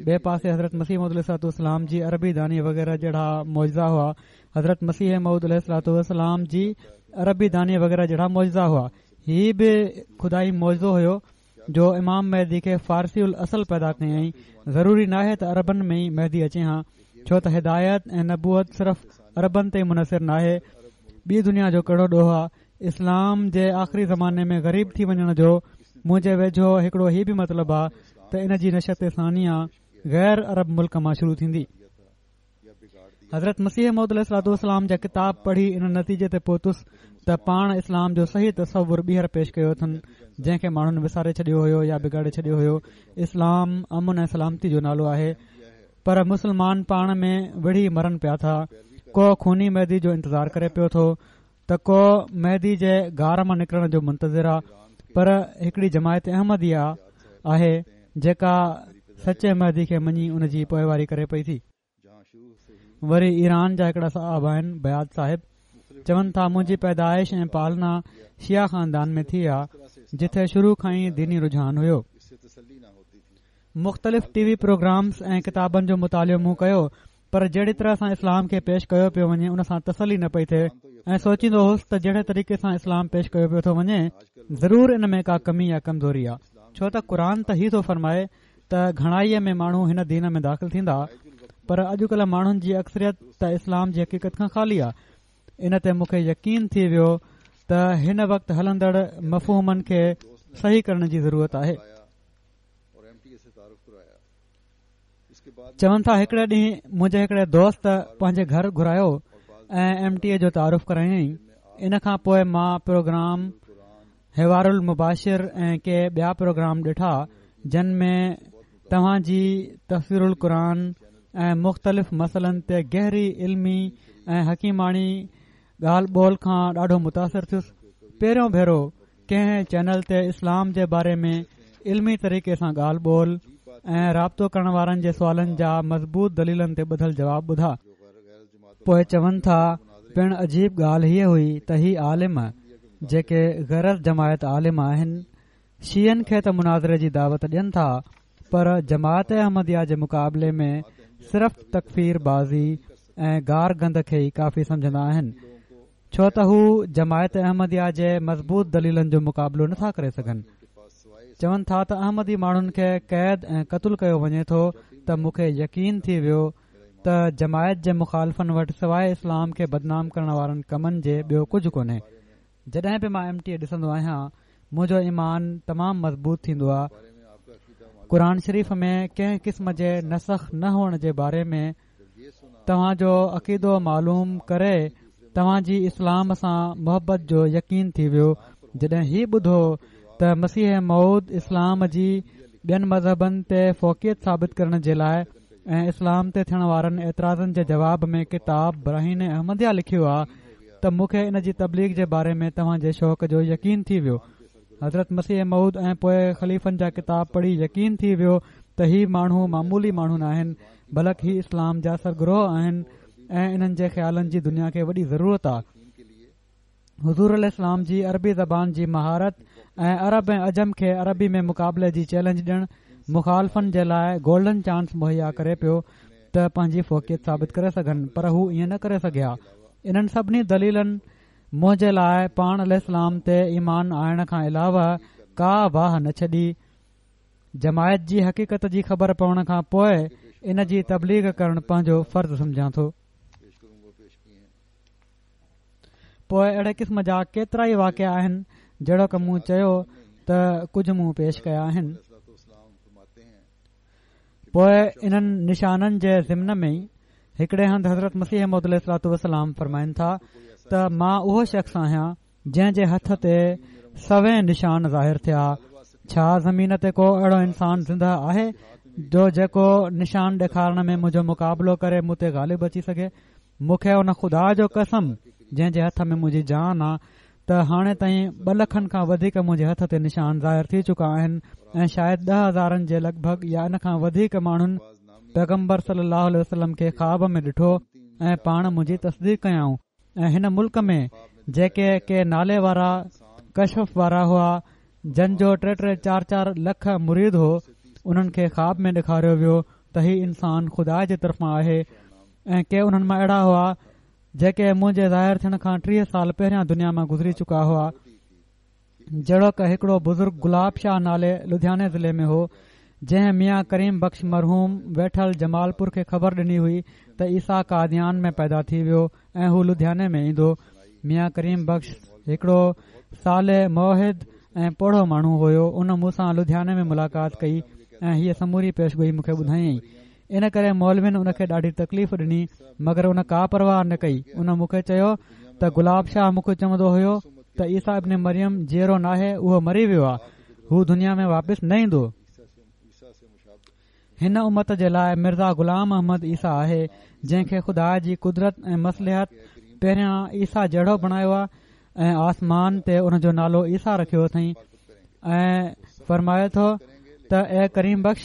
ٻئي پاسي حضرت مسيح موعود عليه الصلوة والسلام جي عربي داني وغيره جهڙا معجزا هئا. حضرت مسيح موعود عليه الصلوة والسلام جي عربي داني وغيره جهڙا معجزا هئا. هي به خدائي معجزو هيو جو امام مهدي کي فارسي الاصل پيدا ڪيائين. ضروري ناهي ته عربن ۾ ئي مهدي اچي ها، ڇو ته هدايت ۽ نبوت صرف عربن تي منحصر ناهي. ٻي دنيا جو ڪهڙو ڏوهه آهي؟ اسلام جي آخري زماني ۾ غريب ٿي وڃڻ جو منهنجي ويجهو هڪڙو هي به مطلب آهي ته ان جي نشأت ثانيه غير عرب ملڪ مان شروع ٿيندي. حضرت مسيح موعود عليه الصلوة والسلام جا ڪتاب پڙهي ان نتيجي تي پهتس ته پاڻ اسلام جو صحيح تصور ٻيهر پيش ڪيو اٿن، جنهن کي ماڻهن وساري ڇڏيو هيو يا بگاڙي ڇڏيو هيو. اسلام امن ۽ سلامتي جو نالو آهي، پر مسلمان پاڻ ۾ وڙهي مرن پيا ٿا. ڪو خوني مهدي جو انتظار ڪري پيو ٿو ته ڪو مهدي جي غار مان نڪرڻ جو منتظر آهي، پر هڪڙي جماعت احمديه آهي جيڪا سچي مهدي کي مڃي ان جي پوئواري ڪري پئي ٿي. وري ايران جا هڪڙا صاحب آهن بياد صاحب، چون ٿا منهنجي پيدائش ۽ پالنا شيعه خاندان ۾ ٿي آ، جتي شروع کان ئي ديني رجحان هيو. مختلف ٽي وي پروگرامز ۽ ڪتابن جو مطالعو مون ڪيو، پر جهڙي طرح سان اسلام کي پيش ڪيو پيو وڃي ان سان تسلي نه پئي ٿئي ۽ سوچيندو هوس ته جهڙي طريقي سان اسلام پيش ڪيو پيو ٿو وڃي ضرور ان ۾ ڪا ڪمي يا ڪمزوري آهي. ڇو ته قرآن ته هي ٿو فرمائي ته گهڻائيءَ ۾ ماڻهو هن دين ۾ داخل ٿيندا، پر اڄڪلهه ماڻهن جي اڪثريت ته اسلام جي حقيقت کان خالي آهي. ان تي مون کي يقين ٿي ويو ته هن وقت هلندڙ مفهومن کي صحيح ڪرڻ جي ضرورت آهي. چون ٿا هڪڙي ڏينهن منهنجي هڪڙي دوست پنهنجي گهر گهرايو ۽ ايم ٽي اي جو تعارف ڪرايائين. ان کان پوءِ مان پروگرام حوار المباشر ۽ ڪي ٻيا پروگرام ڏٺا، جن ۾ توهان جي تفسير القرآن ۽ مختلف مسئلن تي گهري علمي ۽ حڪيماڻي ڳالهه ٻولهه کان ڏاڍو متاثر ٿيس. پهريون ڀيرو ڪنهن چينل تي اسلام جي باري ۾ علمي طريقي سان ڳالهه ٻولهه ۽ رابطو ڪرڻ وارن جي سوالن جا مضبوط دليلن تي ٻڌل جواب ٻڌا. پوءِ چون ٿا پڻ عجيب ڳالهه هيءَ هئي ته هي عالم جيڪي غير جماعت عالم آهن، شيعن کي ته مناظري جي دعوت ڏين ٿا، پر جماعت احمديه جي مقابلي ۾ صرف تڪفير بازي ۽ گار گند کي ئي ڪافي سمجهندا آهن. ڇو ته هو جماعت احمديه جي مضبوط دليلن جو مقابلو نٿا ڪري سگهن. چون ٿا ته احمدي ماڻهن کي قيد ۽ قتل ڪيو وڃي ٿو ته مون کي يقين ٿي ويو ته جماعت جي مخالفن وٽ سواءِ اسلام کي بدنام ڪرڻ وارن ڪمن جي ٻيو ڪجهه ڪونهي. جڏهن به مان ايم ٽي اي ڏسندو آهيان منهنجو ايمان تمام مضبوط ٿيندو آهي. قرآن شريف ۾ ڪنهن قسم جي نسخ نه هئڻ جي باري ۾ توهان جو عقيدو معلوم ڪري توهان جي اسلام سان محبت جو يقين ٿي ويو. جڏهن هي ٻڌو ته مسيح موعود اسلام جي ٻين مذهبن تي فوقيت ثابت ڪرڻ جي لاءِ ۽ اسلام تي ٿيڻ وارن اعتراضن جي جواب ۾ ڪتاب براهين احمديه لکيو آهي ته مون کي ان جي تبليغ جي باري ۾ توهان جي شوق جو يقين ٿي ويو. حضرت مسيح موعود ۽ پوءِ خليفن جا ڪتاب پڙهي يقين ٿي ويو ته هي ماڻهو معمولي ماڻهو نه آهن، بلڪ هي اسلام جا سرگروهه آهن ۽ انهن جي خيالن جي دنيا کي وڏي ضرورت آهي. حضور عليه السلام جي عربي زبان جي مهارت ۽ عرب ۽ عجم کي عربي ۾ مقابلي جي چئلينج ڏيڻ مخالفن جي لاءِ گولڊن چانس مهيا ڪري پيو ته پنهنجي فوقيت ثابت ڪري سگهن، پر هو ائين نه ڪري سگهيا. انهن سڀني دليلن منهنجي لاءِ پاڻ عليه السلام تي ايمان آڻڻ کان علاوه ڪا واهه نه ڇڏي. جماعت جي حقيقت جي خبر پوڻ کان پوءِ ان جي تبليغ ڪرڻ پنهنجو فرض سمجهان ٿو. پوءِ اهڙي قسم جا ڪيترا ئي واقعا آهن، جهڙوڪ مون چيو ته ڪجهه مون پيش ڪيا آهن. پوءِ انهن نشانن جي ضمن ۾ هڪڙي هنڌ حضرت مسيح موعود عليه الصلوة والسلام فرمائن ٿا ته مان اهو شخص آهيان جنهن جي هٿ تي سوين نشان ظاهر ٿيا. ڇا زمين تي ڪو اهڙو انسان زنده آهي جو جيڪو نشان ڏيکارڻ ۾ منهنجو مقابلو ڪري مون تي غالب اچي سگهي؟ مون کي ان خدا جو قسم جنهن جي هٿ ۾ منهنجي جان آ ته هاڻي تائين ٻه لکن کان وڌيڪ منهنجي هٿ تي نشان ظاهر ٿي چڪا آهن ۽ شايد ڏهه هزارن جي لڳ ڀڳ يا ان کان وڌيڪ ماڻهن پيغمبر صلي الله عليه وسلم کي خواب ۾ ڏٺو ۽ پاڻ منهنجي تصديق ڪيائون. ۽ هن ملڪ ۾ جيڪي ڪي نالي وارا ڪشف وارا هئا جن جو ٽي ٽي چار چار لک مريد هو، انهن کي خواب ۾ ڏيکاريو ويو ته هي انسان خدا جي طرفان آهي. ۽ ڪي انهن مان اهڙا هئا جيڪي منهنجي ظاهر ٿيڻ کان ٽيهه سال پهريان دنيا مان گذري چڪا هئا. جهڙوڪ هڪڙو بزرگ گلاب شاهه نالي لڌياني ضلعي ۾ هو، جنهن ميان ڪريم بخش مرحوم ويٺل جمالپور کي خبر ڏني هئي ته عيسيٰ قاديان ۾ پيدا ٿي ويو ۽ هو لڌياني ۾ ايندو. ميان ڪريم بخش هڪڙو صالح موحد ۽ پوڙهو ماڻهو هيو. ان مون سان لڌياني ۾ ملاقات ڪئي ۽ هيءَ سموري پيشگوئي مون کي ٻڌايائين. ان ڪري مولوين ان کي ڏاڍي تڪليف ڏني، مگر ان ڪا پرواهه نه ڪئي. ان مون کي چيو ته گلاب شاهه مون کي چوندو هيو ته عيسيٰ ابن مريم جيئرو ناهي، اهو مري ويو آهي، هو دنيا ۾ واپس نه ايندو. هن امت جي لاءِ مرزا غلام احمد عيسيٰ آهي، جنهن کي خدا جي قدرت ۽ مصلحت پهريان عيسيٰ جهڙو بڻايو آهي ۽ آسمان تي ان جو نالو عيسيٰ رکيو اٿئين. ۽ فرمائي ٿو ته اي ڪريم بخش،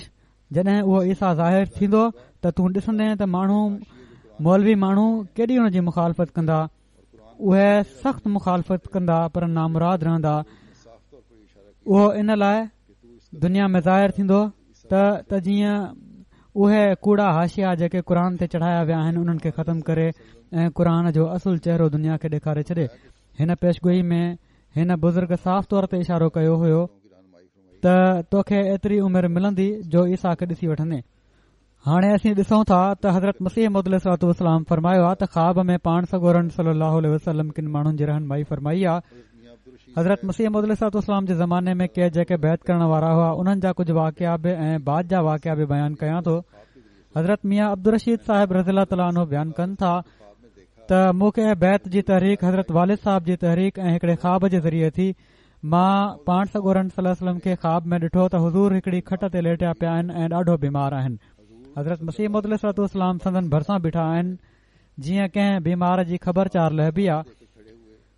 جڏهن اهو عيسيٰ ظاهر ٿيندو ته تون ڏسندين ته ماڻهو مولوي ماڻهو ڪيڏي هن جي مخالفت ڪندا. اهي سخت مخالفت ڪندا پر نامراد رهندا. اهو ان لاءِ دنيا ۾ ظاهر ٿيندو ته ته جيئن اهي ڪوڙا حاشيا جيڪي قرآن تي چڙهايا ويا آهن انهن کي ختم ڪري ۽ قرآن جو اصل چهرو دنيا کي ڏيکاري ڇڏي. هن پيشگوئي ۾ هن بزرگ صاف طور تي اشارو ڪيو هيو ته توکي ايتري عمر ملندي جو عيسيٰ کي ڏسي وٺندين. هاڻي اسين ڏسون ٿا ته حضرت مسيح موعود عليه الصلوة والسلام فرمايو آهي ته خواب ۾ پاڻ سڳورن صلي الله عليه وسلم ڪن ماڻهن جي رهنمائي فرمائي آهي. حضرت مسيح موعود عليه الصلوة والسلام جي زماني ۾ ڪي جيڪي بيعت ڪرڻ وارا هئا انهن جا ڪجهه واقعا به ۽ بعد جا واقعا به بيان ڪيان ٿو. حضرت ميان عبدالرشيد صاحب رضي الله تعاليٰ عنه بيان ڪن ٿا ته مون کي بيعت جي تحريڪ حضرت والد صاحب جي تحريڪ ۽ هڪڙي خواب جي ذريعي ٿي. مان پاڻ سڳورن صلي الله عليه وسلم کي خواب ۾ ڏٺو ته حضور هڪڙي کٽ تي ليٽيا پيا آهن ۽ ڏاڍو بيمار آهن. حضرت مسيح موعود عليه الصلوة والسلام سندن ڀرسان بيٺا آهن، جيئن ڪنهن بيمار جي خبر چار لهبي آهي.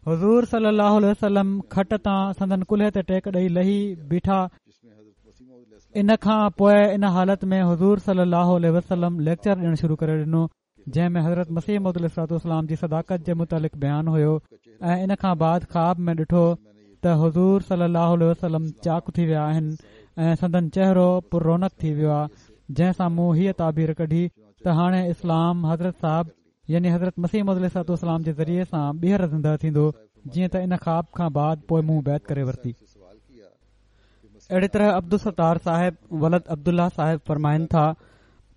حضور صلي الله عليه وسلم کٽ تان سندن ڪلهي تي ٽيڪ ڏئي لهي بيٺا. ان کان پوءِ ان حالت ۾ حضور صلي الله عليه وسلم ليڪچر ڏيڻ شروع ڪري ڏنو، جنهن ۾ حضرت مسيح موعود عليه الصلوة والسلام جي صداقت جي متعلق بيان هيو. ۽ ان کان بعد خواب ۾ ڏٺو ته حضور صلي الله عليه وسلم چاڪ ٿي ويا آهن ۽ سندن چهرو پر رونق ٿي ويو آهي، جنهن سان مون هيءَ تعبير ڪڍي ته هاڻي اسلام حضرت صاحب يعني حضرت مسيح موعود عليه الصلوة والسلام جي ذريعي سان ٻيهر زنده ٿيندو، جيئن ته ان خواب کان بعد پوءِ مون بيعت ڪري ورتي. اهڙي طرح عبدالستار صاحب ولد عبدالله صاحب فرمائن ٿا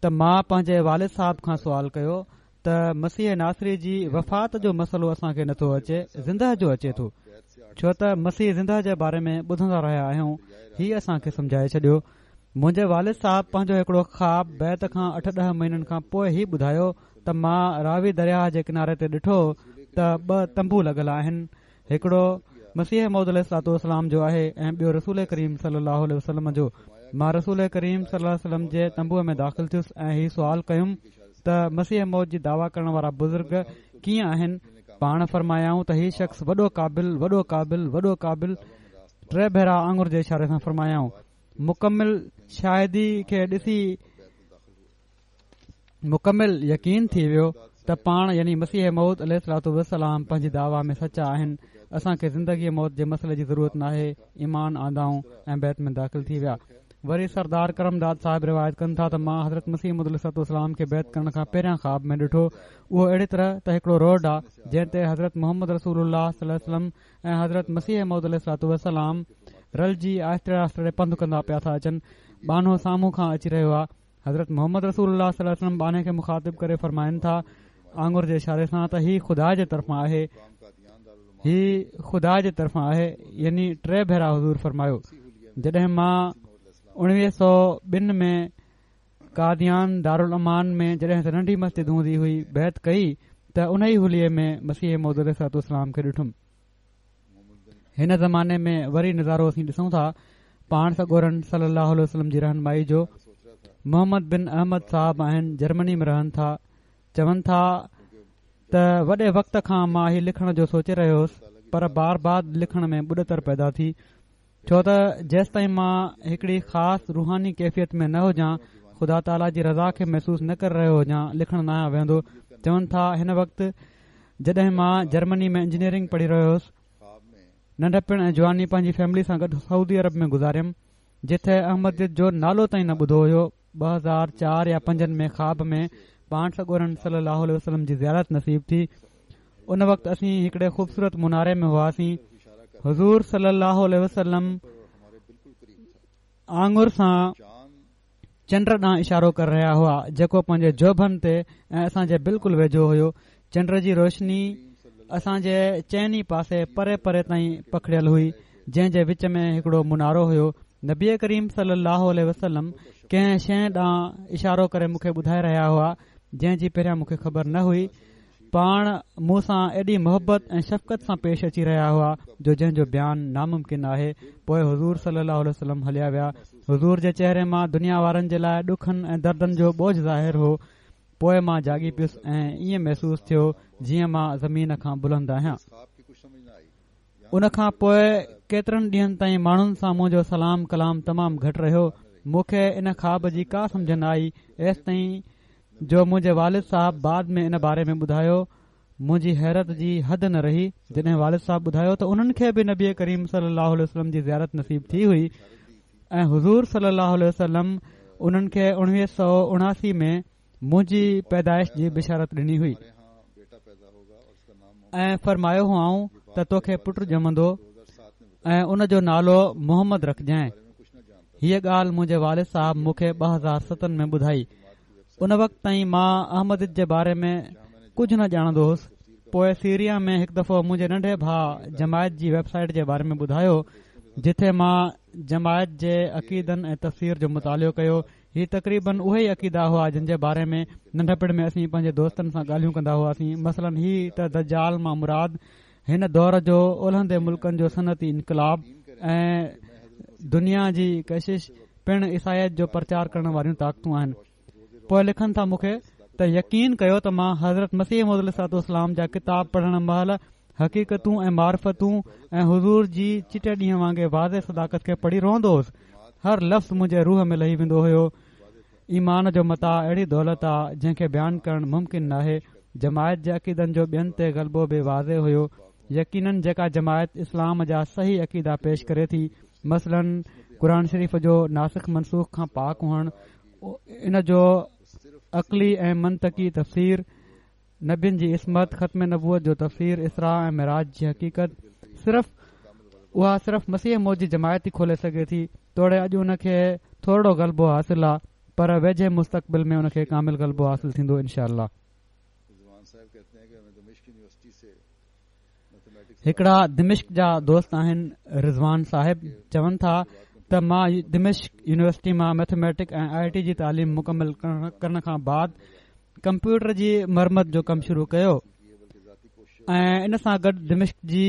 ته مان پنهنجي والد صاحب کان سوال ڪيو ته مسيح ناصري جي وفات جو مسئلو اسان کي نٿو اچي، زنده جو اچي ٿو، ڇو ته مسيح زنده جي باري ۾ ٻڌندا رهيا آهيون، هي اسان کي سمجهائي ڇڏيو. منهنجي والد صاحب پنهنجو هڪڙو خواب بيعت کان اٺ ڏهه مهينن کان پوءِ هي ٻڌايو ته مان راوي درياهه جي ڪناري تي ڏٺو ته ٻه تنبو لڳل آهن، هڪڙو مسيح موعود عليه الصلوة والسلام جو آهي ۽ ٻيو رسول ڪريم صلي الله عليه وسلم جو. مان رسول ڪريم صلي الله عليه وسلم جي تنبوء ۾ داخل ٿيس ۽ هي سوال ڪيم ته مسيح موعود جي دعويٰ ڪرڻ وارا بزرگ ڪيئن آهن؟ پاڻ فرمايائون ته هي شخص وڏو قابل، وڏو قابل، وڏو قابل، ٽي ڀيرا آڱر جي اشاري سان فرمايائون. مڪمل شاهدي کي ڏسي مڪمل يقين ٿي ويو ته پاڻ يعني مسيح موعود عليه الصلوة والسلام پنهنجي دعويٰ ۾ سچا آهن، اسان کي زندگي موت جي مسئلي جي ضرورت ناهي. ايمان آندائون ۽ بيعت ۾ داخل ٿي ويا. وري سردار ڪرمداد صاحب روايت ڪن ٿا ته مان حضرت مسيح موعود عليه الصلوة والسلام کي بيعت ڪرڻ کان پهريان خواب ۾ ڏٺو. اهو اهڙي طرح ته هڪڙو روڊ آ جنهن تي حضرت محمد رسول الله صلي الله عليه وسلم ۽ حضرت مسيح موعود عليه الصلوة والسلام رلجي آهستي آهستي پنڌ ڪندا پيا ٿا اچن. ٻانهو سامهون کان اچي رهيو آ. حضرت محمد رسول الله صلي الله عليه وسلم ٻانهي کي مخاطب ڪري فرمائن ٿا آڱر جي اشاري سان ته هي خدا جي طرفان آهي، هي خدا جي طرفان آهي، يعني ٽي ڀيرا حضور فرمايو. جڏهن مان اڻويهه سؤ ٻن ۾ قاديان دارالامان ۾ جڏهن ته ننڍي مسجد هوندي هئي بيعت ڪئي ته ان ئي حليي ۾ مسيح موعود عليه الصلوة والسلام کي ڏٺم. هن زماني ۾ وري نظارو اسين ڏسون ٿا پاڻ سڳورن صلي الله عليه وسلم جي رهنمائي جو. محمد بن احمد صاحب آهن، جرمني ۾ رهن ٿا. چون ٿا ته وڏي وقت کان مان هي لکڻ جو سوچي رهيو هوس، پر بار بار لکڻ ۾ ٻڏتر پيدا ٿي، ڇو ته جيستائين مان هڪڙي خاص روحاني ڪيفيت ۾ نه هجان، خدا تعاليٰ جي رضا کي محسوس نه ڪري رهيو هجان، لکڻ نه آهيان ويهندو. چون ٿا هن وقت جڏهن مان جرمني ۾ انجنيئرنگ پڙهي رهيو هوس، ننڍپڻ ۽ جواني پنهنجي فيملي سان گڏ سعودي عرب ۾ گذاريم، جتي احمديت جو نالو تائين نه ٻڌو هيو. ٻه هزار چار يا پنجن ۾ خواب ۾ پاڻ سڳورن صلي الله عليه وسلم جي زيارت نصيب ٿي. ان وقت اسين هڪڙي خوبصورت مناري ۾ هئاسين. حضور صلي الله عليه وسلم آڱر سان چنڊ ڏانهن اشارو ڪري رهيا هئا، جيڪو پنهنجي جوڀن تي ۽ اسان جي بلڪل ويجهو هيو. چنڊ جي روشني اسان جي چئني پاسي پري پري تائين پکڙيل هئي، جنهن جي وچ ۾ هڪڙو منارو هيو. نبي ڪريم صلي الله عليه وسلم ڪنهن شيءِ ڏانهن اشارو ڪري مون کي ٻڌائي رهيا هئا، جنهن جي پهريان مون کي خبر نه هئي. پاڻ مون سان ايڏي محبت ۽ شفقت سان پيش اچي رهيا هئا جو جنهن جو بيان ناممڪن آهي. پوءِ حضور صلي الله عليه وسلم هليا ويا. حضور جي چهري مان دنيا وارن جي لاءِ ڏکن ۽ دردن جو بوجهه ظاهر هو. پوءِ مان جاڳي پيس ۽ ائين محسوس ٿيو جيئن مان زمين کان بلند آهيان. ان کان پوءِ ڪيترن ڏينهن تائين ماڻهن سان منهنجو سلام ڪلام تمام گهٽ رهيو. مون کي ان خواب جي ڪا سمجهه نه آئي، ايستائين جو منهنجي والد صاحب بعد ۾ ان باري ۾ ٻڌايو. منهنجي حيرت جي حد نه رهي جڏهن والد صاحب ٻڌايو ته انهن کي به نبي ڪريم صلي الله عليه وسلم جي زيارت نصيب ٿي هئي ۽ حضور صلي الله عليه وسلم انهن کي اڻويهه سؤ اڻاسي ۾ منهنجي پيدائش جي بشارت ڏني هئي ۽ فرمايو هئائون ته توکي پٽ ڄمندو ۽ ان جو نالو محمد رکجانءِ. هيءَ ڳالهه منهنجي والد صاحب مون کي ٻه هزار ستن ۾ ٻڌائي. ان وقت تائين مان احمديت جي باري ۾ ڪجهه نه ڄاڻندو هوس. پوءِ سيريا ۾ هڪ دفعو منهنجي ننڍي ڀاءُ جماعت جي ويب سائيٽ جي باري ۾ ٻڌايو، جتي مان جماعت جي عقيدن ۽ تفسير جو مطالعو ڪيو. هي تقريبن اهي ئي عقيدا هئا جن جي باري ۾ ننڍپڻ ۾ اسين پنهنجي دوستن سان ڳالهيون ڪندا هئاسين. مثلاً هي ته دجال مان مراد هن دور جو اولهندي ملڪن جو صنعتي انقلاب ۽ دنيا جي ڪشش پڻ عيسائيت جو پرچار ڪرڻ واريون طاقتون آهن. پوءِ لکن ٿا مون کي ته يقين ڪيو ته مان حضرت مسيح موعود عليه الصلوة والسلام جا ڪتاب پڙهڻ مهل حقيقتون ۽ معرفتون ۽ حضور جي چٽي ڏينهن وانگي واضح صداقت کي پڙهي روئندو هوس. هر لفظ منهنجي روح ۾ لهي ويندو هيو. ايمان جو متاع اهڙي دولت آ جنهن کي بيان ڪرڻ ممڪن ناهي. جماعت جي عقيدن جو ٻين تي غلبو به واضح هيو. يقينن جيڪا جماعت اسلام جا صحيح عقيدا پيش ڪري ٿي، مثلاً قرآن شريف جو ناسخ منسوخ کان پاڪ هئڻ، ان جو عقلي ۽ منطقي تفسير، नबियुनि जी इस्मत, ख़त्म नबूअत जो तफ़सीर, इसरा ऐं मिराज जी हक़ीक़त सिर्फ़ उहा सिर्फ़ मसीह मौत जी जमायत ई खोले सघे थी। तोड़े अॼु उनखे थोरो ग़लबो हासिल आहे, पर वेझे मुस्तक़बिल में उनखे कामिल ग़लबो हासिल थींदो इंशाअल्लाह। हिकिड़ा दिमिश्क जा दोस्त आहिनि रिज़वान साहिब, चवनि था त मां दिमिश्क यूनिवर्सिटी मां मैथमेटिक ऐं I T जी तालीम मुकम्मल करण खां बाद कंप्यूटर जी मरमत जो कमु शुरू कयो ऐं इन सां गॾु दिमिश्क जी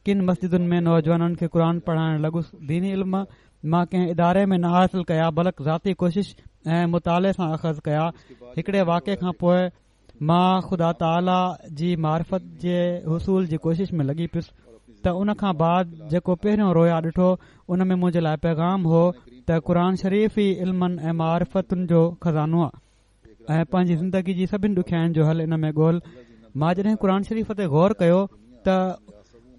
किन मस्जिदुनि में नौजवाननि खे क़ुर पढ़ाइण लॻुसि। दीनी इल्म मां कंहिं इदारे में न हासिल कया, बल्कि ज़ाती कोशिश ऐं मुताले सां अख़ज़ कया। हिकिड़े वाक़े खां पोइ मां ख़ुदा ताला जी मार्फत जे हुसूल जी कोशिश में लॻी पियुसि त उन खां बाद जेको पहिरियों रोया ॾिठो उन में मुंहिंजे लाइ पैगाम हो त क़ुर शरीफ़ ई इल्मनि ऐं मार्फतुनि जो ख़ज़ानो आहे ऐं पंहिंजी ज़िंदगी जी सभिनी ॾुखियाइनि जो हल इन में ॻोल्ह। मां जॾहिं क़ुर शरीफ़ ते गौर कयो त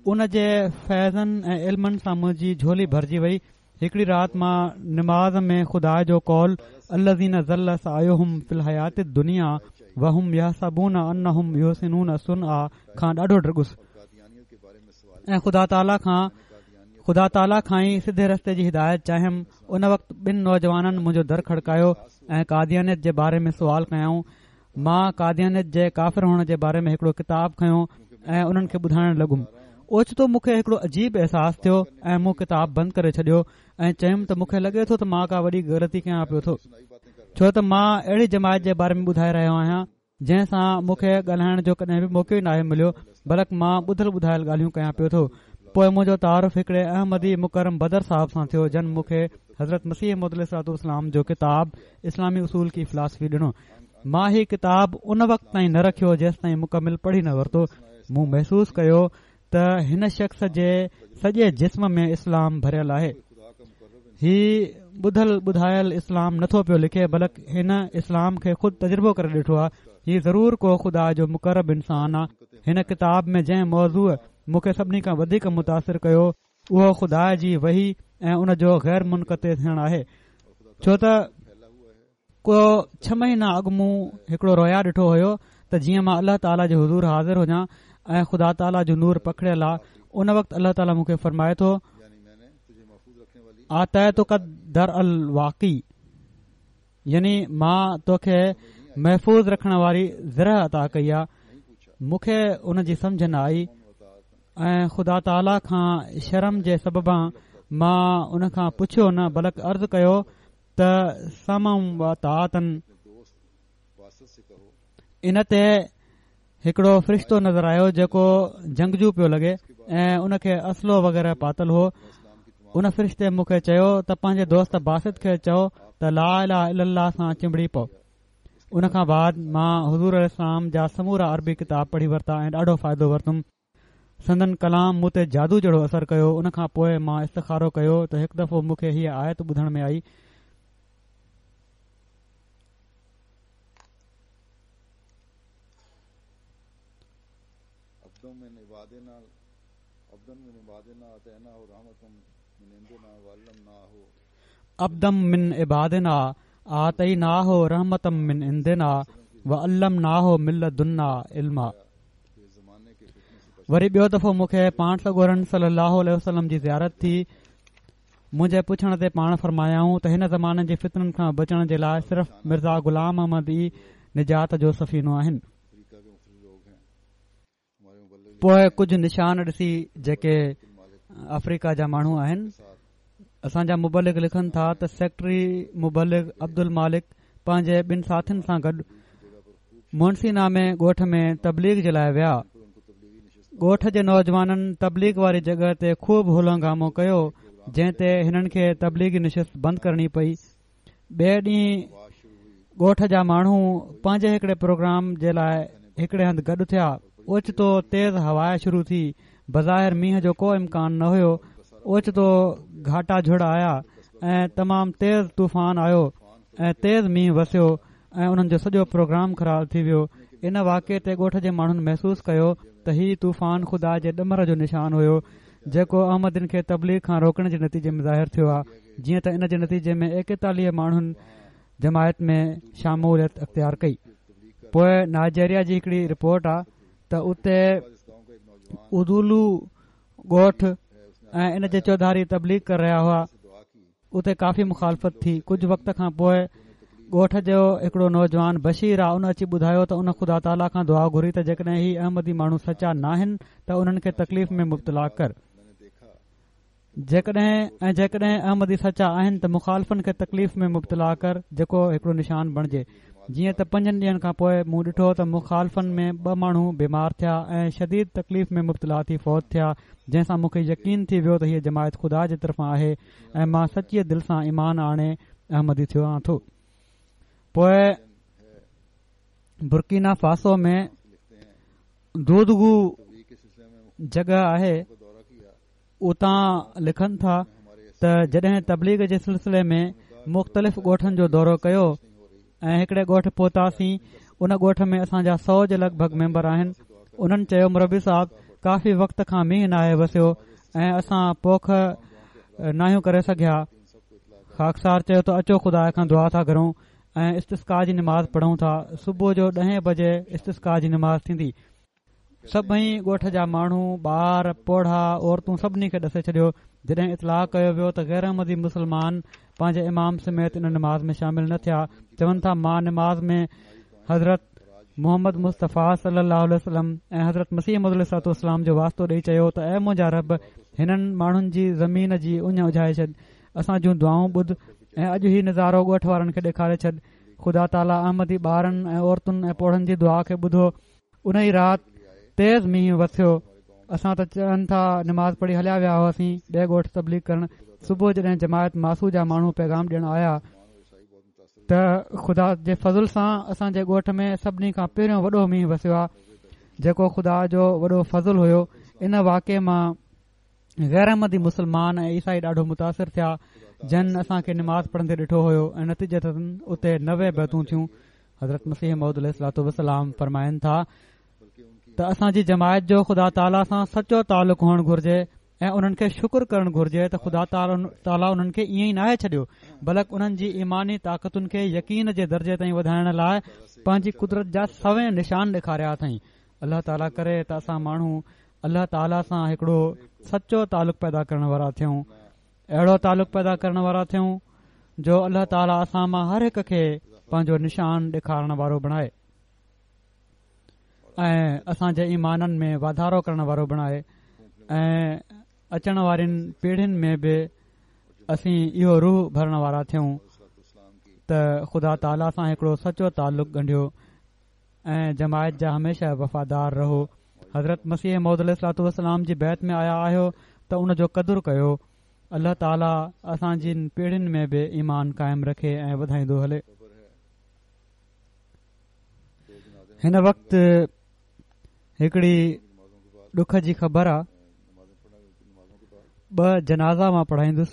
उन जे फैज़नि ऐं इल्मनि सां मुंहिंजी झोली भरिजी वई। हिकिड़ी राति मां नमाज़ में ख़ुदा जो कौल अल्लज़ीना ज़ल्ल सअयुहुम फ़िल हयाति दुनिया वहुम यहसबून अन्नहुम युहसिनून सुनआ खां ॾाढो ड्रिगुसि ऐं ख़ुदा ताला खां ख़ुदा ताला खां ई सिधे रस्ते जी हिदायत चाहियमि। उन वक़्तु ॿिनि नौजवाननि मुंहिंजो दर खड़कायो ऐं कादियानियत जे बारे में सुवाल कयाऊं। मां कादियानियत जे काफ़िर हुअण जे बारे में हिकिड़ो किताब खयो ऐं उन्हनि खे ॿुधाइण लॻुमि। ओचितो मूंखे हिकिड़ो अजीब अहसासु थियो ऐं मूं किताब बंदि करे छॾियो ऐं चयुमि त मूंखे लॻे थो त मां का वॾी ग़लती कयां पियो थो, छो त मां अहिड़ी जमायत जे बारे में ॿुधाए रहियो आहियां जंहिं सां मूंखे ॻाल्हाइण जो कॾहिं बि मौक़ो ई नाहे मिलियो, बल्कि मां ॿुधल ॿुधायल ॻाल्हियूं कयां पियो थो। पोइ मुंहिंजो तारुफ़ हिकिड़े अहमदी मुकरम बदर साहब सां थियो, जन मूंखे हज़रत मसीह मौद अलैहिस्सलाम जो किताब इस्लामी उसूल की फ़िलासफ़ी ॾिनो। मां ही किताब उन वक़्त ताईं न रखियो जेसि ताईं मुकमिल पढ़ी न वरितो। मूं महसूसु कयो त हिन शख़्स जे सॼे जिस्म में इस्लाम भरियल आहे। ही ॿुधल ॿुधायल इस्लाम नथो पियो लिखे, बल्कि हिन इस्लाम खे ख़ुदि तजुर्बो करे ॾिठो आहे। ही ज़रूर को ख़ुदा जो मुकरब इंसान आहे। हिन किताब में जंहिं मौज़ू मूंखे सभिनी खां वधीक मुतासिर कयो उहो ख़ुदा जी वही ऐं उन जो ग़ैर मुनक़ते थियणु आहे। छो त को छह महीना अॻु मूं हिकिड़ो रोया ॾिठो हुयो त जीअं मां अलाह ताला जे हुज़ूर हाज़िर हुजां ऐं ख़ुदा ताला जो नूर पखड़ियल आहे। उन वक़्तु अलाह ताला मूंखे फरमाए थो, आतैतुक दर अल वाक़ी, यानी मां तोखे महफ़ूज़ रखण वारी ज़रह अता कई आहे। मूंखे उन जी सम्झ न आई ऐं ख़ुदा ताला खां शर्म जे सबबां मां उन खां पुछियो न, बल्कि अर्ज़ कयो त समम व तातन। इन ते हिकिड़ो फ़रिश्तो नज़र आयो जेको जंगजू पियो लॻे ऐं उनखे असलो वग़ैरह पातल हो। उन फ़रिश्ते मूंखे चयो त पंहिंजे दोस्त बासित खे चओ त ला इलाहा इल्लल्लाह सां चिंबड़ी पओ। उन खां बाद मां हुज़ूर अलैहिस्सलाम जा समूरा अरबी किताब पढ़ी वरिता ऐं ॾाढो फ़ाइदो वरितुमि। संदन कलाम मूं ते जादू जहिड़ो असर कयो। उन खां पोइ मां इस्तिखारो कयो त हिकु दफ़ो मूंखे हीअ आयत ॿुधण में आई, अब्दम मिन इबादिना आतैनाहु रहमतम मिन इंदिना व अल्लमनाहु मिन लदुन्ना इल्मा। वरी ॿियो दफ़ो मूंखे पाण सڳورनि सल्लल्लाहु अलैहि वसल्लम जी ज़ियारत थी। मुंहिंजे पुछण ते पाण फरमायाऊं त हिन ज़माने जे फितननि खां बचण जे लाइ सिर्फ़ मिर्ज़ा ग़ुलाम अहमद ई निजात जो सफ़ीनो आहिनि। पोइ कुझु निशान ॾिसी जेके अफ्रीका जा माण्हू आहिनि। असांजा मुबलिग लिखनि था त सेक्रेटरी मुबलिग अब्दुल मालिक पंहिंजे ॿिनि साथियुनि सां गॾु मुनसीना में ॻोठ में तबलीग जे लाइ विया। ॻोठ जे नौजवाननि तबलीग वारी जॻह ते ख़ूब हुलंगामो कयो, जंहिं ते हिननि खे तबलीगी निशिस्त बंदि करणी पई। ॿिए ॾींहुं ॻोठ जा माण्हू पंहिंजे हिकिड़े प्रोग्राम जे लाइ हिकिड़े हंधि गॾु थिया। ओचितो तेज़ हवा शुरू थी। बज़ाहिर मींहं जो को इम्कान न हुयो। ओचितो घाटा झुड़ आया ऐं तमामु तेज़ तूफ़ान आयो ऐं तेज़ मींहुं वसियो ऐं उन्हनि जो सॼो प्रोग्राम ख़राबु थी वियो। इन वाक़े ते ॻोठ जे माण्हुनि महसूसु कयो त ही तूफ़ान ख़ुदा जे ॾमर जो निशान हुयो, जेको अहमदिन खे तबलीग खां रोकण जे नतीजे में ज़ाहिर थियो आहे। जीअं त इन जे नतीजे में एकेतालीह माण्हुनि जमायत में शामूलियत अख़्तियार कई। پوءِ نائجيريا جي هڪڙي رپورٽ آهي ته اتي ادولو ڳوٺ ۽ ان جي چوڌاري تبليغ ڪري رهيا هئا. اتي ڪافي مخالفت ٿي. ڪجهه وقت کان پوءِ ڳوٺ جو هڪڙو نوجوان بشير آهي، ان اچي ٻڌايو ته ان خدا تعاليٰ کان دعا گهري ته جيڪڏهن هي احمدي ماڻهو سچا ناهن ته انهن کي تڪليف ۾ مبتلا ڪر، جيڪڏهن ۽ جيڪڏهن احمدي سچا آهن ته مخالفن کي تڪليف ۾ مبتلا ڪر، جيڪو هڪڙو نشان بڻجي. جيئن ته پنجن ڏينهن کان پوءِ مون ڏٺو ته مخالفن ۾ ٻه ماڻهو بيمار ٿيا ۽ شديد تڪليف ۾ مبتلا ٿي فوت ٿيا، جنهن سان مون کي يقين ٿي ويو ته هيءَ جماعت خدا جي طرفان آهي ۽ مان سچيءَ دل سان ايمان آڻي احمدي ٿيو آهيان ٿو. پوءِ برڪينا فاسو ۾ دودگو جڳهه آهي، اتان لکن ٿا ته جڏهن تبليغ جي سلسلي ۾ مختلف ڳوٺن جو دورو ڪيو ۽ هڪڙي ڳوٺ پهتاسين، ان ڳوٺ ۾ اسان جا سؤ جي لڳ ڀڳ ميمبر آهن. انهن چيو مربي صاحب ڪافي وقت کان مينهن ناهي وسيو ۽ اسان پوک ناهيون ڪري سگهيا. خاڪسار چيو ته اچو خدا کان دعا ٿا گهرون ۽ استسقا جي نماز پڙهون ٿا. صبح جو ڏهين بجي استسقا جي نماز ٿيندي. سڀئي ڳوٺ جا ماڻهو، ٻار، پوڙها، عورتون سڀني کي ڏسي ڇڏيو. جڏهن اطلاع ڪيو ويو ته غير احمدي مسلمان پنهنجي امام سميت ان نماز ۾ شامل نه ٿيا. چون ٿا مان نماز ۾ حضرت محمد مصطفيٰ صلي الله عليه وسلم ۽ حضرت مسيح موعود عليه الصلوة والسلام جو واسطو ڏيئي چيو ته اي منهنجا رب، هنن ماڻهن جي زمين جي اڃ اجهائي ڇڏ، اسان جون دعائون ٻڌ ۽ اڄ هي نظارو ڳوٺ وارن کي ڏيکاري ڇڏ. خدا تعاليٰ احمدي ٻارن ۽ عورتن ۽ پوڙهن جي دعا کي ٻڌو. ان ئي رات تيز مينهن وسيو. اسان ته چون ٿا نماز پڙهي هليا ويا هئاسين ٻئي ڳوٺ تبليغ ڪرڻ. صبح جڏهن جماعت ماسو جا ماڻهو پيغام ڏيڻ آيا ته خدا جي فضل سان اسان جي ڳوٺ ۾ سڀني کان پهريون وڏو مينهن وسيو آهي، جيڪو خدا جو وڏو فضل هيو. ان واقعي مان غير احمدي مسلمان ۽ عيسائي ڏاڍو متاثر ٿيا، جن اسان کي نماز پڙهندي ڏٺو هيو ۽ نتيجتن اتي نوي بيعتون ٿيون. حضرت مسيح موعود عليه الصلوة والسلام فرمائن ٿا ته اسان جي جماعت جو خدا تعاليٰ سان سچو تعلق هئڻ گهرجي ۽ انهن کي شڪر ڪرڻ گهرجي ته خدا تعاليٰ انهن کي ائين ئي ناهي ڇڏيو، بلڪ انهن جي ايماني طاقتن کي يقين جي درجي تائين وڌائڻ لاءِ پنهنجي قدرت جا سوين نشان ڏيکاريا اٿئين. الله تعاليٰ ڪري ته اسان ماڻهو الله تعاليٰ سان هڪڙو سچو تعلق پيدا ڪرڻ وارا ٿيون، اهڙو تعلق پيدا ڪرڻ وارا ٿيون جو الله تعاليٰ اسان مان هر هڪ کي پنهنجو نشان ڏيکارڻ وارو بڻائي ۽ اسان جي ايمانن ۾ واڌارو ڪرڻ وارو بڻائي ۽ اچڻ وارين پيڙهين ۾ به اسين اهو روح ڀرڻ وارا ٿيون ته خدا تعاليٰ سان هڪڙو سچو تعلق ڳنڍيو ۽ جماعت جا هميشه وفادار رهو. حضرت مسيح موعود عليه الصلوة والسلام جي بيعت ۾ آيا آهيو ته ان جو قدر ڪيو. الله تعاليٰ اسان جي پيڙهين ۾ به ايمان قائم رکي ۽ وڌائيندو هلي. هن وقت هڪڙي ڏک جي خبر آهي. ٻه جنازا مان پڙهائيندس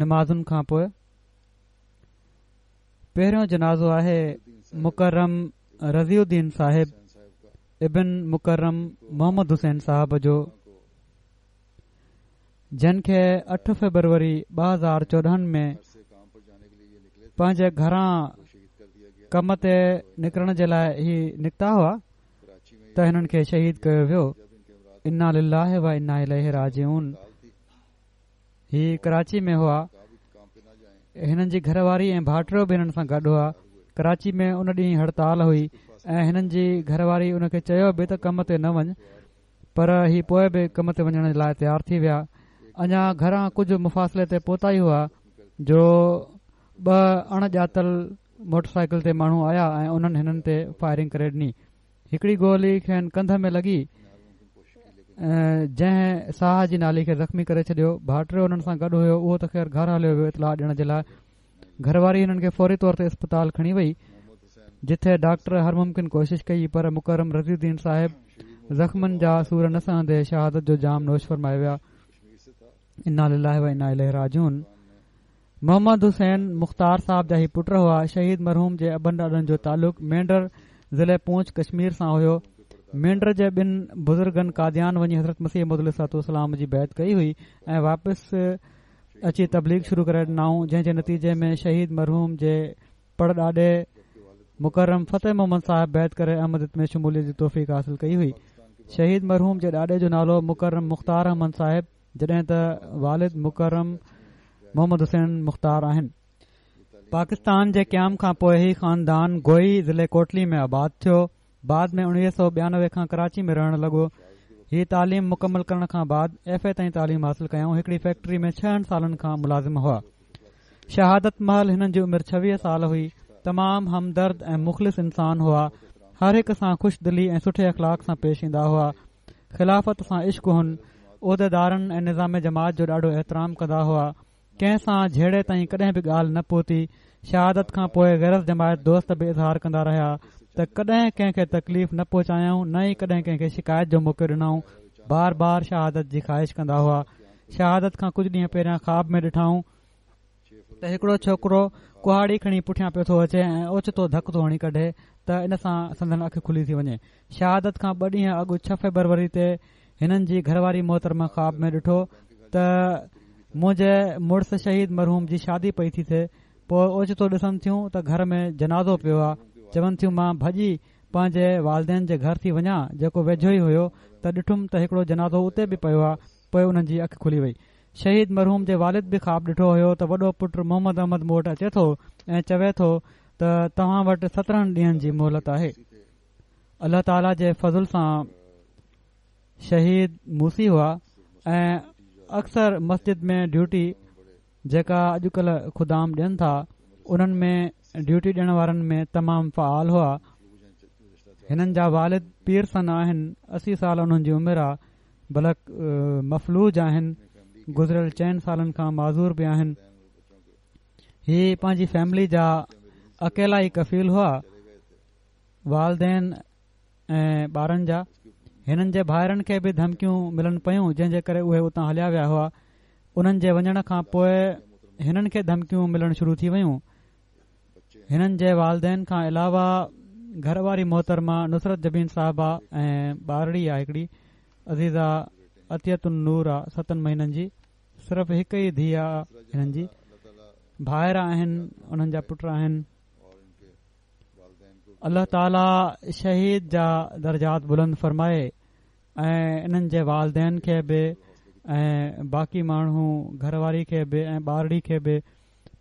نمازن کان پوءِ. پهريون جنازو آهي مڪرم رضي الدين صاحب ابن مڪرم محمد حسين صاحب جو، جن کي اٺ فيبروري ٻه هزار چوڏهن ۾ پنهنجي گهران ڪم تي نڪرڻ جي لاءِ هي نڪتا هئا ته هنن کي شهيد ڪيو ويو. انا لله و انا اليه راجعون. هي ڪراچي ۾ هئا. هنن جي گهر واري ۽ ڀائٽيو به هنن سان گڏ هئا. ڪراچي ۾ ان ڏينهن هڙتال هئي ۽ هنن جي گهر واري ان کي چيو به ته ڪم تي نه وڃ، پر هي پوءِ به ڪم تي وڃڻ جي لاءِ تيار ٿي ويا. اڃا گهران ڪجهه مفاصلي تي پهتا ئي هئا جو ٻه اڻ ڄاتل موٽر سائيڪل تي ماڻهو آيا ۽ انهن هنن تي فائرنگ ڪري ڏني. هڪڙي گولي کين ڪنڌ ۾ لڳي، جنهن ساهه جي نالي کي زخمي ڪري ڇڏيو. ڀائٽيو انهن سان گڏ هيو، اهو ته خير گهر هليو ويو اطلاع ڏيڻ جي لاءِ. گهر واري هنن کي فوري طور تي اسپتال کڻي وئي، جتي ڊاڪٽر هر ممڪن ڪوشش ڪئي، پر مڪرم رضي الدين صاحب زخمن جا سور نه سهندي شهادت جو جام نوش فرمائي ويا. انا لله و انا اليه راجعون. محمد حسين مختار صاحب جا هي پٽ هئا. شهيد مرحوم جي ابن ڏاڏن جو تعلق مينڊر ضلعي پونڇ ڪشمير سان هيو. مينڊر جي ٻن بزرگن قاديان وڃي حضرت مسيح موعود عليه الصلوة والسلام جي بيعت ڪئي هئي ۽ واپس اچي تبليغ شروع ڪري ڏنائون، جنهن جي نتيجي ۾ شهيد مرحوم جي پڙ ڏاڏي मुकर्रम फ़तेह मोहम्मद साहिब बैत करे अहमदियत में शमूलियत जी तौफ़ीक़ हासिल कई हुई। शहीद मरहूम जे ॾाॾे जो नालो मुकर्रम मुख्तार अहमद साहिब, जॾहिं त वालिद मुकर्रम मोहम्मद हुसैन मुख्तार आहिनि। पाकिस्तान जे क़याम खां पोइ ही ख़ानदान गोई ज़िले कोटली में आबाद थियो। बाद में उणिवीह सौ ॿियानवे खां कराची में रहण लॻो। ही तालीम मुकम्मल करण खां बाद एफ ए ताईं तालीम हासिल कयाऊं। हिकिड़ी फैक्ट्री में छहनि सालनि खां मुलाज़िम हुआ। शहादत महल हिननि जी उमिरि छवीह साल हुई। तमाम हमदर्द ऐं मुख़लिस इंसान हुआ। हर हिक सां ख़ुशि दिली ऐं सुठे अख़लाक़ सां पेश ईंदा हुआ। ख़िलाफ़त सां इश्क हुन। उहिदेदारनि ऐं निज़ाम जमात जो ॾाढो एतिराम कंदा हुआ। कंहिं सां झेड़े ताईं कॾहिं बि ॻाल्हि न पहुती। शहादत खां पोइ ग़ैर जमायत दोस्त बि इज़हार कंदा रहिया त कॾहिं कंहिंखे तकलीफ़ न पहुचायाऊं, न ई कॾहिं कंहिंखे शिकायत जो मौक़ो ॾिनाऊं। बार बार शहादत जी ख़्वाहिश कंदा हुआ। शहादत खां कुझु ॾींहं पहिरियां ख़्वाब में ॾिठाऊं त हिकिड़ो छोकिरो कुहाड़ी खणी पुठियां पियो थो अचे ऐं ओचितो धक थो हणी कढे त इन सां संदन अखि खुली थी वञे। शहादत खां ॿ ॾींहं अॻु छह फरवरी ते हिननि जी घरवारी मोहतरमा ख़्वाब में ॾिठो त मुंहिंजे मुड़ुस शहीद मरहूम जी शादी पई थी थिए। पोइ ओचितो ॾिसनि थियूं त घर में जनाज़ो पियो आहे। चवनि थियूं मां भॼी पंहिंजे वालदेन जे घर थी वञा, जेको वेझो ई हुयो, त ॾिठुमि त हिकिड़ो जनाज़ो उते बि पियो आहे। पोइ उन्हनि जी अखि खुली वई। शहीद मरहूम जे वालिद बि ख़्वाब ॾिठो हुयो त वॾो पुटु मोहम्मद अहमद मूं वटि अचे थो ऐं चवे थो त तव्हां वटि सतरहं ॾींहंनि जी मोहलत आहे। अलाह ताला जे फ़ज़ुल सां शहीद मूसी हुआ ऐं अक्सर मस्जिद में ड्यूटी जेका अॼुकल्ह ख़ुदाम ॾियनि था उन्हनि में ड्यूटी ॾियण वारनि में तमामु फ़आल हुआ। हिननि जा वालिद पीर सन आहिनि, असी साल उन्हनि जी उमिरि आहे, बलक मफलूज आहिनि, गुज़िरियल चइनि सालनि खां माज़ूर बि आहिनि। ही पंहिंजी फैमिली जा अकेला ई कफ़ील हुआ, वालदेन ऐं ॿारनि जा। हिननि जे भाइरनि खे बि धमकियूं मिलनि पयूं, जंहिंजे करे उहे उतां हलिया विया हुआ। उन्हनि जे वञण खां पोइ हिननि खे धमकियूं मिलणु शुरू थी वयूं। हिननि जे वालदेन खां अलावा घर वारी मोहतरमा नुसरत जबीन साहिबा ऐं ॿारड़ी आहे हिकिड़ी अज़ीज़ा अतियतुन नूर आहे, सतनि महीननि जी, सिर्फ़ु हिकु ई धीउ आहे हिननि जी। भाइर आहिनि, उन्हनि जा पुट आहिनि। अलाह ताला शहीद जा दर्जात बुलंद फरमाए ऐं इन्हनि जे वालदेन खे बि ऐं बाक़ी माण्हू घरवारी खे बि ऐं ॿारड़ी खे बि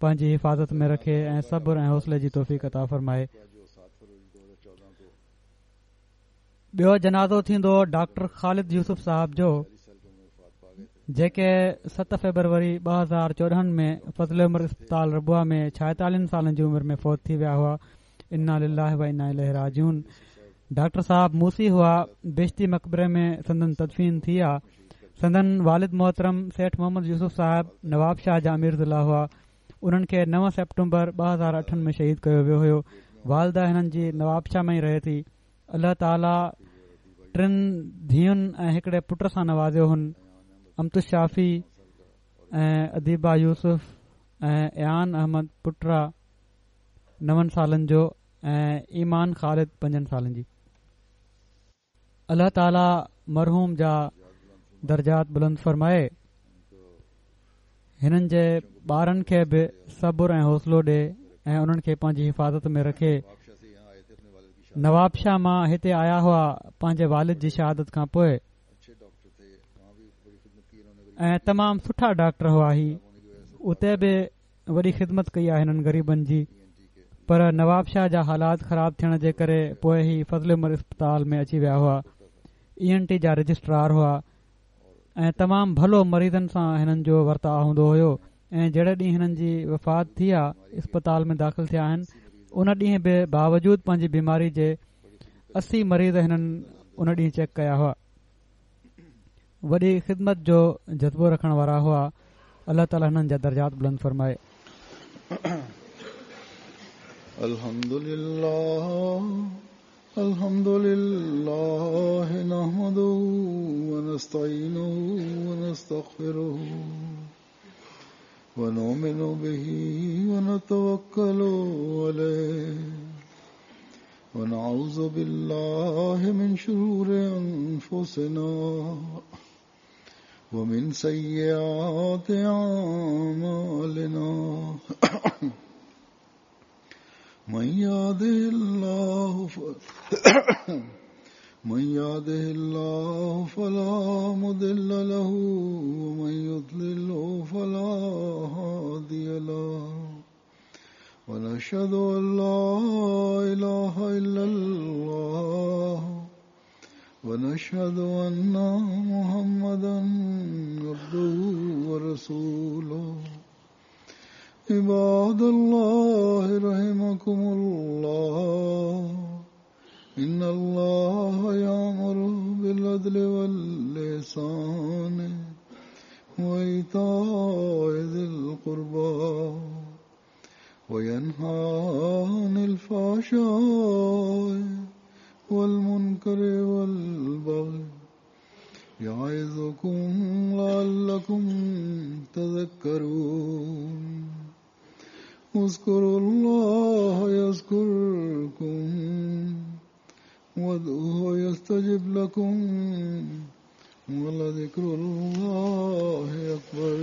पंहिंजी हिफाज़त में रखे ऐं सब्र ऐं हौसले जी तौफ़ीक़ अता फरमाए। ॿियो जनाज़ो थींदो डॉक्टर ख़ालिद यूसुफ साहब जो, जेके सत फरवरी ॿ हज़ार चोॾहं में फ़ज़ल उमर अस्पताल रबुआ में छाएतालीहनि सालनि जी उमिरि में फौत थी विया हुआ। इन्ना लिल्लाहि व इन्ना इलैहि राजिऊन। डॉक्टर साहब मूसी हुआ। बेश्ती मकबरे में संदन तदफीन थी आ। संदन वालिद मोहतरम सेठ मोहम्मद यूसुफ साहब नवाब शाह जा अमीर ज़िला हुआ। उन्हनि खे नव सेप्टेम्बर ॿ हज़ार अठनि में शहीद कयो वियो हुयो। वालिदा हिननि जी नवाब शाह में ई रहे थी। अलाह ताला टिनि धीउनि ऐं हिकिड़े पुट सां नवाज़ियो हुन। अमतु शाफ़ी ऐं अदीबा यूसुफ ऐं अयान अहमद पुट आहे नवनि सालनि जो ऐं ईमान ख़ालिद पंजनि सालनि जी। अलाह ताला मरहूम जा दर्जात बुलंद फरमाए, हिननि जे ॿारनि खे बि सब्र ऐं हौसलो ॾे ऐं उन्हनि खे पंहिंजी हिफाज़त में रखे। नवाब शाह मां हिते आया हुआ पंहिंजे वालिद जी शहादत खां पोइ ऐं तमामु सुठा डॉक्टर हुआ। ही उते बि वॾी ख़िदमत कई आहे हिननि ग़रीबनि जी, पर नवाब शाह जा हालात ख़राब थियण जे करे पोइ ही फ़ज़ल उमर अस्पताल में अची विया हुआ। ई एन टी जा रजिस्ट्रार हुआ ऐं तमामु भलो मरीज़नि सां हिननि जो वर्ताउ हूंदो हुयो। ऐं जहिड़े ॾींहुं हिननि जी वफ़ात थी आहे, अस्पताल में दाख़िल थिया आहिनि, उन ॾींहुं बि बावजूद पंहिंजी बीमारी जे असी मरीज़ हिननि उन ॾींहुं चेक कया हुआ। वॾी ख़िदमत जो जज़्बो रखण वारा हुआ। अलाह ताला हिननि जा दर्जात बुलंद फरमाए। अल्हम्दुलिल्लाह अल्हम्दुलिल्लाह नहमदुहू व नस्तईनुहु व नस्तगफिरुहू व नुमिनु बिही व नतवक्कलु अलैहि व नऊज़ु बिल्लाहि मिन शुरूरि अनफुसिना व मिन सय्yiआति आमालिना। من يهده الله ف... من يهده الله فلا مضل له ومن يضلل فلا هادي له ونشهد أن لا إله إلا الله ونشهد أن محمدا عبده ورسوله. عباد الله رحمكم الله، إن الله يأمر بالعدل والإحسان وإيتاء ذي القربى وينهى عن الفحشاء والمنكر والبغي يعظكم لعلكم تذكرون. اذكروا الله يذكركم وادعوه يستجب لكم ولذكر الله أكبر.